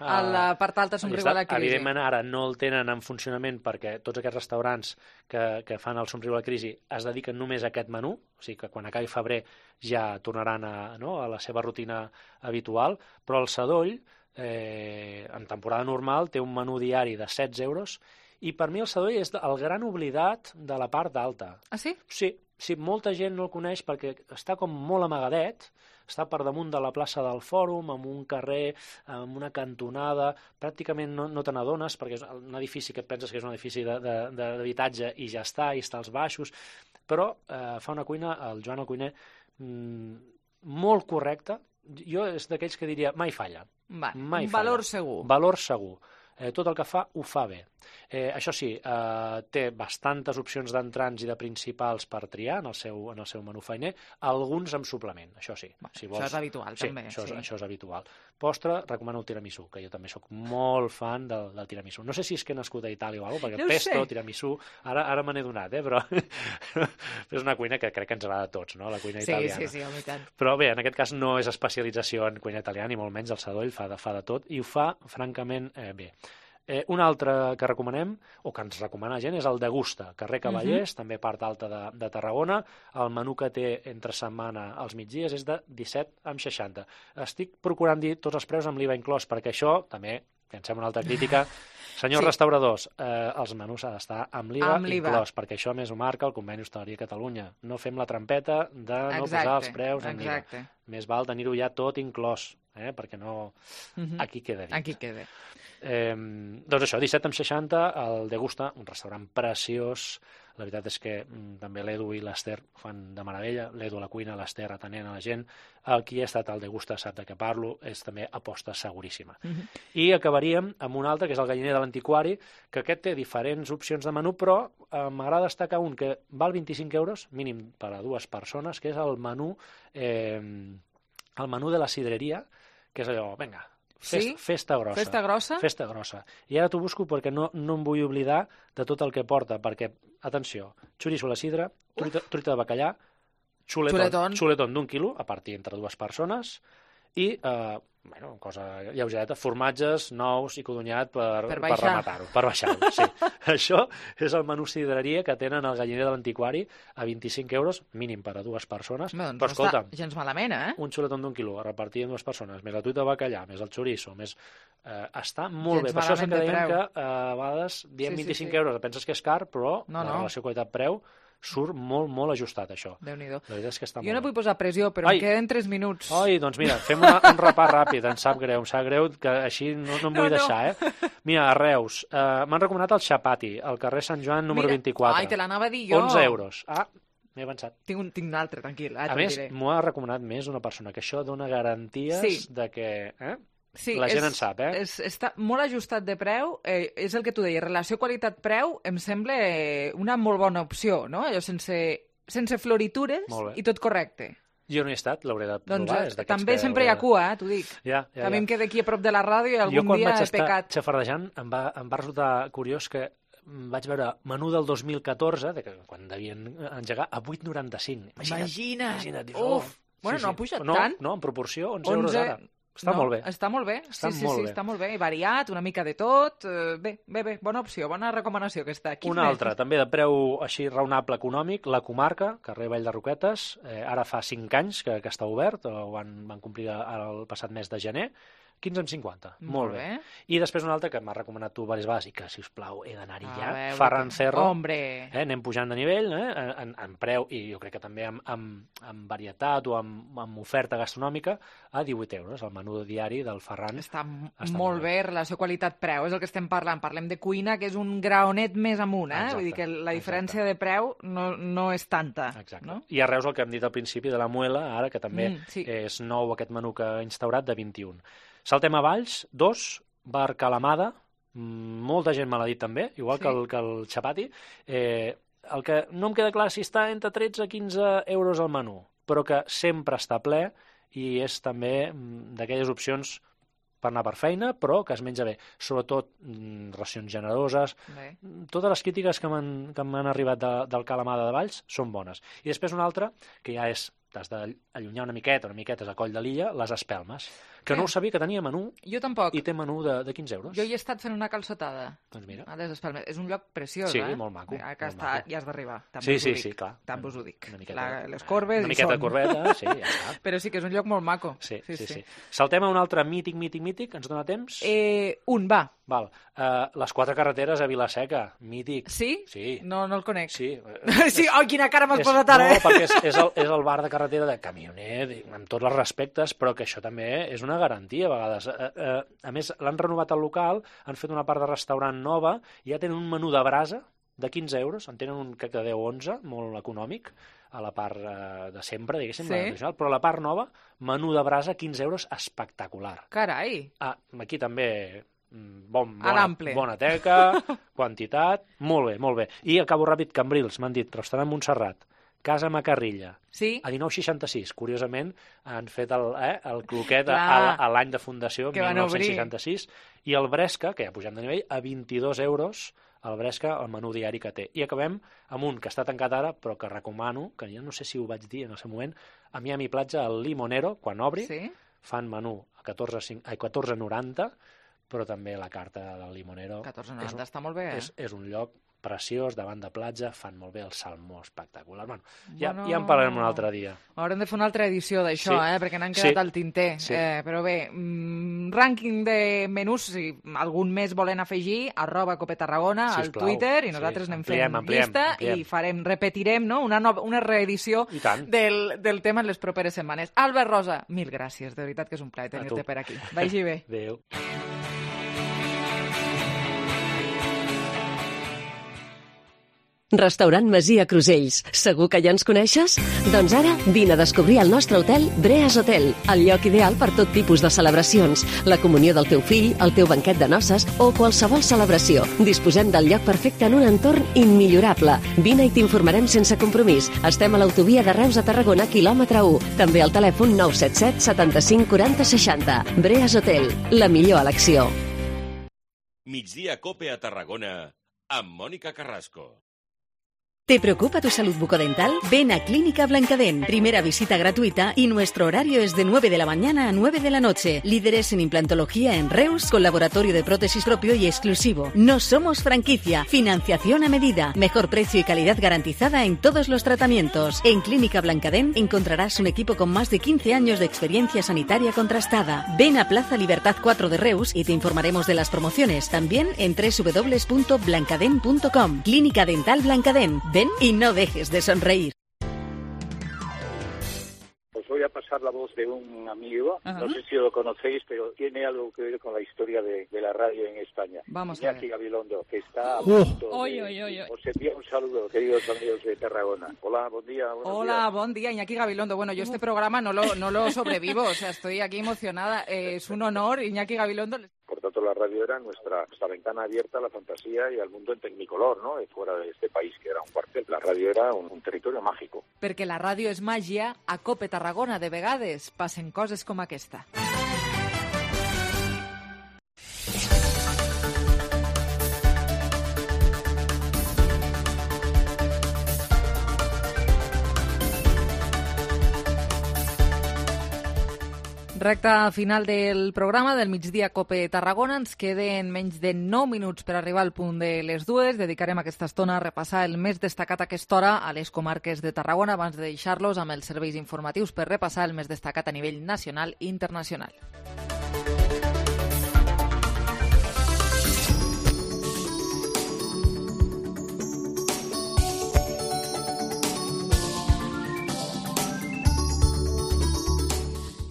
a la part alta somriu a la crisi. Evidentment ara no el tenen en funcionament perquè tots aquests restaurants que fan el somriu a la crisi es dediquen només a aquest menú, o sigui que quan acabi febrer ja tornaran a la seva rutina habitual, però el Sadoll en temporada normal té un menú diari de 16 euros i per mi el Sadoll és el gran oblidat de la part alta. Ah, sí? Sí, molta gent no el coneix perquè està com molt amagadet, està per damunt de la plaça del Fòrum, en un carrer, en una cantonada, pràcticament no te n'adones perquè és un edifici que et penses que és un edifici d'habitatge i ja està, i està als baixos, però fa una cuina, el Joan el cuiner, molt correcta. Jo és d'aquells que diria mai falla. Un valor segur. Valor segur. Tot el que fa, ho fa bé. Això sí, té bastantes opcions d'entrants i de principals per triar en el seu menú feiner, alguns amb suplement, això sí. Si vols... Això és habitual, també. Això és habitual. Postre, recomano el tiramisú, que jo també sóc molt fan del tiramisú. No sé si és que he nascut a Itàlia o alguna cosa, perquè pesto, tiramisú, ara me n'he donat, però és una cuina que crec que ens agrada a tots, no?, la cuina italiana. Sí, home, i tant. Però bé, en aquest cas no és especialització en cuina italiana, ni molt menys el Sadoll fa de tot, i ho fa francament bé. Un altre que recomanem, o que ens recomana gent, és el Degusta, carrer Cavallers, també part alta de Tarragona. El menú que té entre setmana als migdies és de 17,60. Estic procurant dir tots els preus amb l'IVA inclòs, perquè això també, que em sembla una altra crítica, senyors restauradors, els menús ha d'estar amb l'IVA inclòs, perquè això més ho marca el Conveni Hostaleria Catalunya. No fem la trampeta de no posar els preus en l'IVA. Més val tenir-ho ja tot inclòs, perquè no... Aquí queda dit. Aquí queda. Doncs això, 17,60, el Degusta, un restaurant preciós. La veritat és que també l'Edu i l'Ester fan de meravella. L'Edu a la cuina, l'Ester atenent a la gent. Qui ha estat al Degusta sap de què parlo, és també aposta seguríssima. I acabaríem amb un altre, que és el Galliner de l'Antiquari, que aquest té diferents opcions de menú, però m'agrada destacar un que val 25 euros, mínim per a 2 persones, que és el menú de la sidreria, que és allò, vinga, festa grossa. Festa grossa? Festa grossa. I ara t'ho busco perquè no em vull oblidar de tot el que porta, perquè, atenció, xoriço a la sidra, truita de bacallà, xuletón d'1 quilo, a partir entre 2 persones, i, cosa lleugereta, formatges nous i codonyat per rematar-ho, per baixar-ho, sí. Això és el menú sidreria que tenen al Galliner de l'Antiquari a 25 euros, mínim per a 2 persones. Doncs però escolta, no està gens malament, un xuletón d'1 quilo a repartir en 2 persones, més la truita de bacallà, més el xoriço, més... està molt bé. Per això és que dèiem que a vegades diem 25 euros, penses que és car, però la relació qualitat-preu surt molt, molt ajustat, això. Déu-n'hi-do. La veritat és que està molt Jo no vull posar pressió, però em queden 3 minuts. Doncs mira, fem un repàs ràpid, em sap greu, que així no em vull deixar, Mira, a Reus, m'han recomanat el Chapati, al carrer Sant Joan número 24. Ai, te l'anava a dir jo. 11 euros. M'he avançat. Tinc un altre, tranquil. A més, m'ho ha recomanat més una persona, que això dona garanties de que... Sí, la gent en sap, està molt ajustat de preu, és el que tu deies, relació qualitat-preu em sembla una molt bona opció, no? Allò sense floritures i tot correcte. Jo no hi he estat, l'hauré de provar. Doncs també sempre hi ha cua, t'ho dic. A mi em queda aquí a prop de la ràdio i algun dia he pecat. Jo quan vaig estar xafardejant em va resultar curiós que vaig veure menú del 2014, quan devien engegar, a 8,95. Imagina't. Dius, Uf! Bueno, no ha pujat tant. No, en proporció, 11 euros ara. Està molt bé. Està molt bé, sí, està molt bé. I variat, una mica de tot. Bé, bona opció, bona recomanació aquesta. Una altra, també de preu així raonable econòmic, la Comarca, carrer Vall de Roquetes, ara fa 5 anys que està obert, van complir el passat mes de gener, 15,50. Molt bé. I després una altra que m'ha recomanat tu diverses vegades i que, si us plau, he d'anar-hi ja. Ferran Cerro. Hombre! Anem pujant de nivell en preu i jo crec que també amb varietat o amb oferta gastronòmica a 18 euros, el menú diari del Ferran. Està molt bé, relació qualitat-preu, és el que estem parlant. Parlem de cuina, que és un graonet més amunt, Vull dir que la diferència de preu no és tanta. Exacte. I a Reus el que hem dit al principi de la Muela, ara que també és nou aquest menú que ha instaurat de 21. Saltem a Valls, 2, bar Calamada, molta gent me l'ha dit també, igual que el Chapati. El que no em queda clar si està entre 13 i 15 euros al menú, però que sempre està ple i és també d'aquelles opcions per anar per feina, però que es menja bé. Sobretot racions generoses. Totes les crítiques que m'han arribat del Calamada de Valls són bones. I després una altra, que ja t'has d'allunyar una miqueta és a Coll de Lilla, les Espelmes, que no ho sabia que tenia menú. Jo tampoc. I té menú de 15 euros. Jo hi he estat fent una calçotada. Doncs mira. A les Espelmes. És un lloc preciós, Sí, molt maco. Ja has d'arribar. Sí, clar. També us ho dic. Les corbes una miqueta de corbeta, sí, ja està. Però sí que és un lloc molt maco. Sí. Saltem a un altre mític, ens dona temps? Va. Val. Les 4 carreteres a Vila-seca, mític. Sí? Sí. No el conec. Sí. Sí, quina cara m'has posat ara, No, perquè és el bar de carretera de camioner, amb tots els respectes, però que això també és una garantia a vegades. A més, l'han renovat el local, han fet una part de restaurant nova, i ja tenen un menú de brasa de 15 euros, en tenen un crec de 10-11, molt econòmic, a la part de sempre, diguéssim, però a la part nova, menú de brasa, 15 euros, espectacular. Carai! Aquí també bona teca, quantitat, molt bé. I acabo ràpid, Cambrils, m'han dit, restaurant Montserrat, Casa Macarrilla, a 1966. Curiosament, han fet el cloquet a l'any de fundació, 1966, i el Bresca, que ja pujant de nivell, a 22 euros, el Bresca, el menú diari que té. I acabem amb un que està tancat ara, però que recomano, que ja no sé si ho vaig dir en el seu moment, a Miami Platja, el Limonero, quan obri, fan menú a 14,90, però també la carta del Limonero. 14,90 està molt bé, És un lloc preciós, davant de platja, fan molt bé el salmó espectacular. Bueno, ja en parlarem un altre dia. Haurem de fer una altra edició d'això, perquè n'han quedat al tinter. Però bé, rànquing de menús, si algun més volen afegir, @CopeTarragona al Twitter, i nosaltres anem fent llista i repetirem una reedició del tema en les properes setmanes. Albert Rosa, mil gràcies, de veritat que és un plaer tenir-te per aquí. Vagi bé. Adéu. Restaurant Masia Crusells. Segur que ja ens coneixes? Doncs ara vine a descobrir el nostre hotel Breas Hotel, el lloc ideal per tot tipus de celebracions, la comunió del teu fill, el teu banquet de noces o qualsevol celebració. Disposem del lloc perfecte en un entorn immillorable. Vine i t'informarem sense compromís. Estem a l'autovia de Reus a Tarragona, quilòmetre 1. També al telèfon 977 75 40 60. Breas Hotel, la millor elecció. Migdia Cope a Tarragona amb Mònica Carrasco. ¿Te preocupa tu salud bucodental? Ven a Clínica Blancadent. Primera visita gratuita y nuestro horario es de 9 de la mañana a 9 de la noche. Líderes en implantología en Reus, con laboratorio de prótesis propio y exclusivo. No somos franquicia. Financiación a medida. Mejor precio y calidad garantizada en todos los tratamientos. En Clínica Blancadent encontrarás un equipo con más de 15 años de experiencia sanitaria contrastada. Ven a Plaza Libertad 4 de Reus y te informaremos de las promociones. También en www.blancadent.com. Clínica Dental Blancadent. Ven y no dejes de sonreír. Os voy a pasar la voz de un amigo, no sé si lo conocéis, pero tiene algo que ver con la historia de la radio en España. Vamos Iñaki Gabilondo, que está a punto os envía un saludo, queridos amigos de Tarragona. Hola, buen día. Hola, buen día, Iñaki Gabilondo. Bueno, yo este programa no lo sobrevivo, o sea, estoy aquí emocionada. Es un honor, Iñaki Gabilondo. Por tanto, la radio era nuestra ventana abierta a la fantasía y al mundo en tecnicolor, ¿no? Fuera de este país, que era un cuartel. La radio era un territorio mágico. Perquè la ràdio és màgia, a Cope Tarragona de vegades passen coses com aquesta. Recta final del programa del migdia Cope Tarragona. Ens queden menys de 9 minuts per arribar al punt de les 2. Dedicarem aquesta estona a repassar el més destacat a aquesta hora a les comarques de Tarragona abans de deixar-los amb els serveis informatius per repassar el més destacat a nivell nacional i internacional.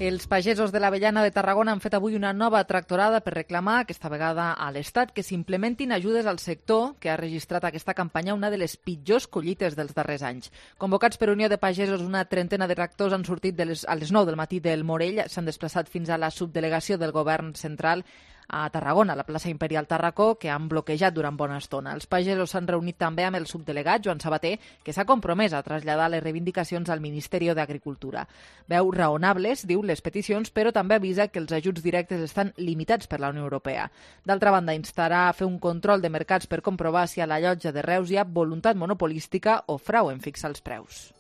Els pagesos de l'Avellana de Tarragona han fet avui una nova tractorada per reclamar, aquesta vegada a l'Estat, que s'implementin ajudes al sector que ha registrat aquesta campanya una de les pitjors collites dels darrers anys. Convocats per Unió de Pagesos, una trentena de tractors han sortit a les 9 del matí del Morell, s'han desplaçat fins a la subdelegació del govern central a Tarragona, a la plaça Imperial Tarracó, que han bloquejat durant bona estona. Els pagesos s'han reunit també amb el subdelegat, Joan Sabater, que s'ha compromès a traslladar les reivindicacions al Ministeri d'Agricultura. Veu raonables, diu, les peticions, però també avisa que els ajuts directes estan limitats per la Unió Europea. D'altra banda, instarà a fer un control de mercats per comprovar si a la llotja de Reus hi ha voluntat monopolística o frau en fixar els preus.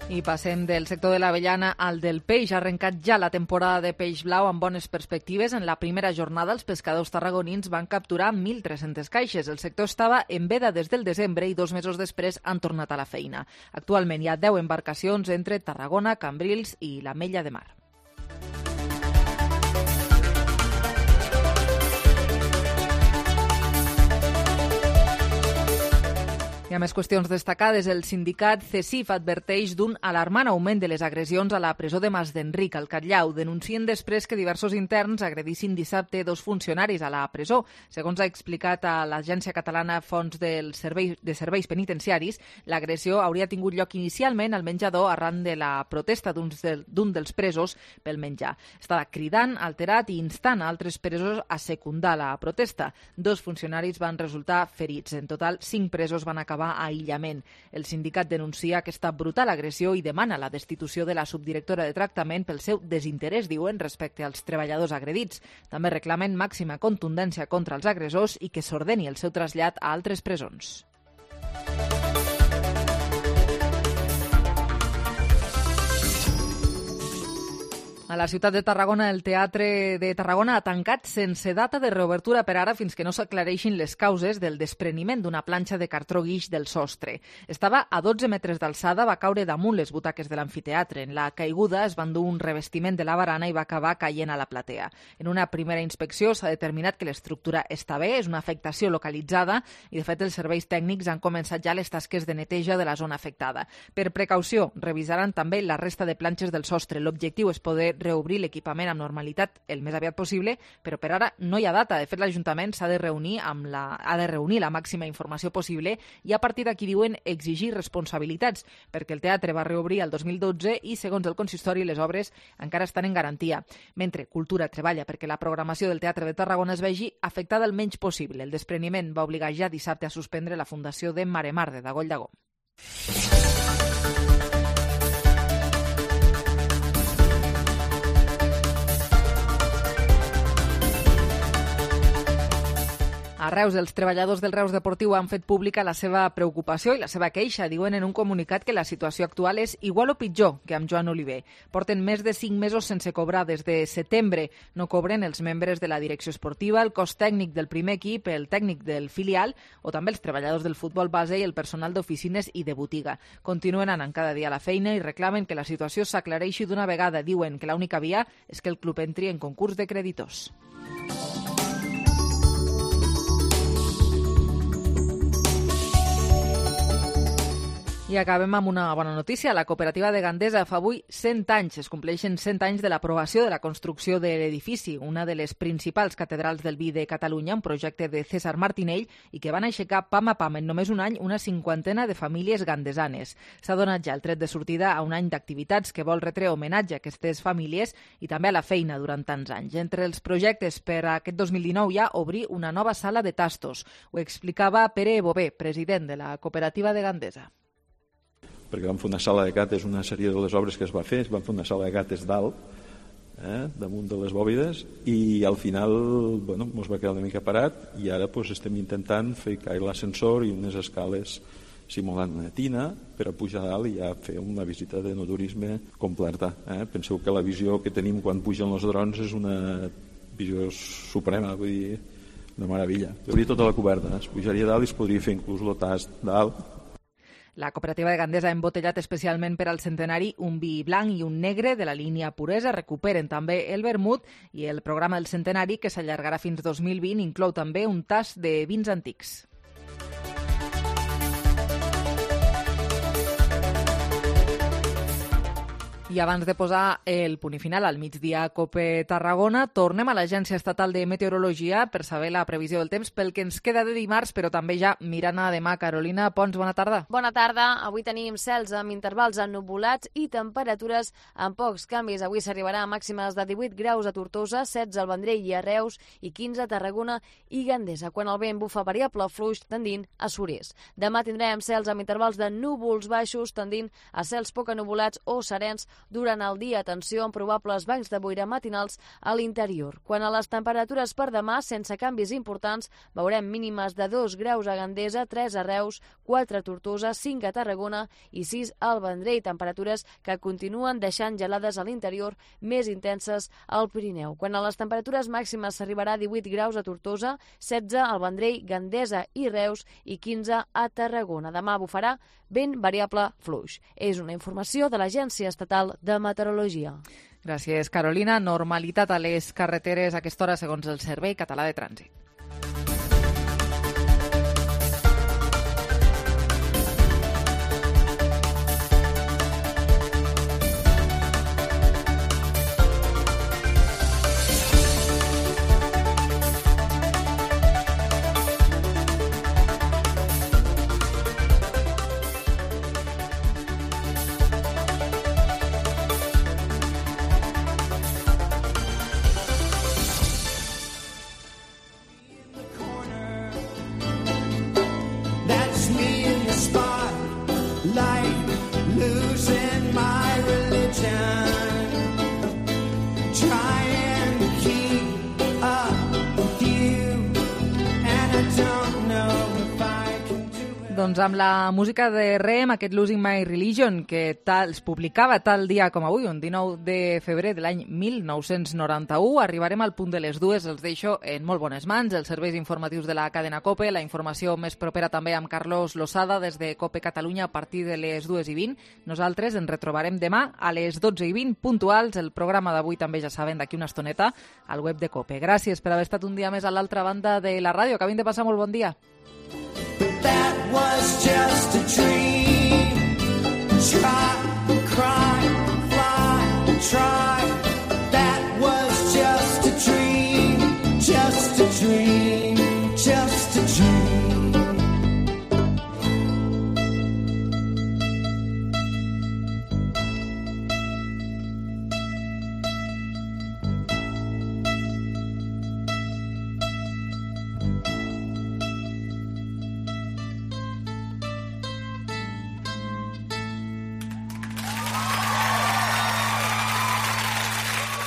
I passem del sector de l'avellana al del peix. Ha arrencat ja la temporada de peix blau amb bones perspectives. En la primera jornada, els pescadors tarragonins van capturar 1.300 caixes. El sector estava en veda des del desembre i 2 mesos després han tornat a la feina. Actualment hi ha 10 embarcacions entre Tarragona, Cambrils i l'Ametlla de Mar. Hi ha més qüestions destacades. El sindicat CESIF adverteix d'un alarmant augment de les agressions a la presó de Masdenric, al Catllau. Denuncien després que diversos interns agredissin dissabte 2 funcionaris a la presó. Segons ha explicat a l'Agència Catalana Fons de Serveis Penitenciaris, l'agressió hauria tingut lloc inicialment al menjador arran de la protesta d'un dels presos pel menjar. Estava cridant, alterat i instant a altres presos a secundar la protesta. 2 funcionaris van resultar ferits. En total, 5 presos van acabar a aïllament. El sindicat denuncia aquesta brutal agressió i demana la destitució de la subdirectora de tractament pel seu desinterès, diuen, respecte als treballadors agredits. També reclamen màxima contundència contra els agressors i que s'ordeni el seu trasllat a altres presons. A la ciutat de Tarragona, el Teatre de Tarragona ha tancat sense data de reobertura per ara fins que no s'aclareixin les causes del despreniment d'una planxa de cartró guix del sostre. Estava a 12 metres d'alçada, va caure damunt les butaques de l'amfiteatre. En la caiguda es va endur un revestiment de la barana i va acabar caient a la platea. En una primera inspecció s'ha determinat que l'estructura està bé, és una afectació localitzada i, de fet, els serveis tècnics han començat ja les tasques de neteja de la zona afectada. Per precaució, revisaran també la resta de planxes del sostre. L'objectiu és poder reobrir l'equipament amb normalitat el més aviat possible, però per ara no hi ha data. De fet, l'Ajuntament ha de reunir la màxima informació possible i a partir d'aquí, diuen, exigir responsabilitats, perquè el teatre va reobrir el 2012 i, segons el consistori, les obres encara estan en garantia. Mentre Cultura treballa perquè la programació del Teatre de Tarragona es vegi afectada el menys possible. El despreniment va obligar ja dissabte a suspendre la fundació de Maremar de Dagoll d'Agó. A Reus, els treballadors del Reus Deportiu han fet pública la seva preocupació i la seva queixa. Diuen en un comunicat que la situació actual és igual o pitjor que amb Joan Oliver. Porten més de 5 mesos sense cobrar des de setembre. No cobren els membres de la direcció esportiva, el cos tècnic del primer equip, el tècnic del filial o també els treballadors del futbol base i el personal d'oficines i de botiga. Continuen anant cada dia a la feina i reclamen que la situació s'aclareixi d'una vegada. Diuen que l'única via és que el club entri en concurs de creditors. I acabem amb una bona notícia. La cooperativa de Gandesa fa avui 100 anys. Es compleixen 100 anys de l'aprovació de la construcció de l'edifici, una de les principals catedrals del vi de Catalunya, un projecte de César Martinell i que van aixecar pam a pam en només un any una 50 de famílies gandesanes. S'ha donat ja el tret de sortida a un any d'activitats que vol retre homenatge a aquestes famílies i també a la feina durant tants anys. Entre els projectes per a aquest 2019 hi ha obrir una nova sala de tastos. Ho explicava Pere Bové, president de la cooperativa de Gandesa. Perquè vam fer una sala de cates, una sèrie de les obres que es va fer, es van fer una sala de cates dalt, damunt de les bòbides, i al final ens va quedar una mica parat, i ara estem intentant fer caure l'ascensor i unes escales simulant una tina per a pujar a dalt i ja fer una visita de naturisme completa. Penseu que la visió que tenim quan pugen els drons és una visió suprema, vull dir, una meravella. Hauria tota la coberta, es pujaria a dalt i es podria fer inclús el tast dalt. La cooperativa de Gandesa ha embotellat especialment per al centenari un vi blanc i un negre de la línia Puresa. Recuperen també el vermut, i el programa del centenari, que s'allargarà fins 2020, inclou també un tast de vins antics. I abans de posar el punt i final al migdia a COPE Tarragona, tornem a l'Agència Estatal de Meteorologia per saber la previsió del temps pel que ens queda de dimarts, però també ja mirant a demà. Carolina Pons, bona tarda. Bona tarda. Avui tenim cels amb intervals ennuvolats i temperatures amb pocs canvis. Avui s'arribarà a màximes de 18 graus a Tortosa, 16 al Vendrell i a Reus i 15 a Tarragona i Gandesa, quan el vent bufa variable fluix tendint a sud-est. Demà tindrem cels amb intervals de núvols baixos tendint a cels poc ennuvolats o serens durant el dia. Atenció amb probables bancs de boira matinals a l'interior. Quan a les temperatures per demà, sense canvis importants, veurem mínimes de 2 graus a Gandesa, 3 a Reus, 4 a Tortosa, 5 a Tarragona i 6 al Vendrell. Temperatures que continuen deixant gelades a l'interior, més intenses al Pirineu. Quan a les temperatures màximes s'arribarà a 18 graus a Tortosa, 16 al Vendrell, Gandesa i Reus i 15 a Tarragona. Demà bufarà vent variable fluix. És una informació de l'Agència Estatal de Meteorologia. Gràcies, Carolina. Normalitat a les carreteres a aquesta hora segons el Servei Català de Trànsit. Doncs amb la música de Rem, aquest Losing My Religion, que es publicava tal dia com avui, un 19 de febrer de l'any 1991, arribarem al punt de les dues. Els deixo en molt bones mans, els serveis informatius de la cadena COPE, la informació més propera també amb Carlos Losada des de COPE Catalunya a partir de les 2:20. Nosaltres ens retrobarem demà a les 12:20 puntuals. El programa d'avui també, ja saben, d'aquí una estoneta al web de COPE. Gràcies per haver estat un dia més a l'altra banda de la ràdio. Acabin de passar molt bon dia. That was just a dream. Try, cry, fly, try. That was just a dream. Just a dream. Just a dream.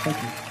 Thank you.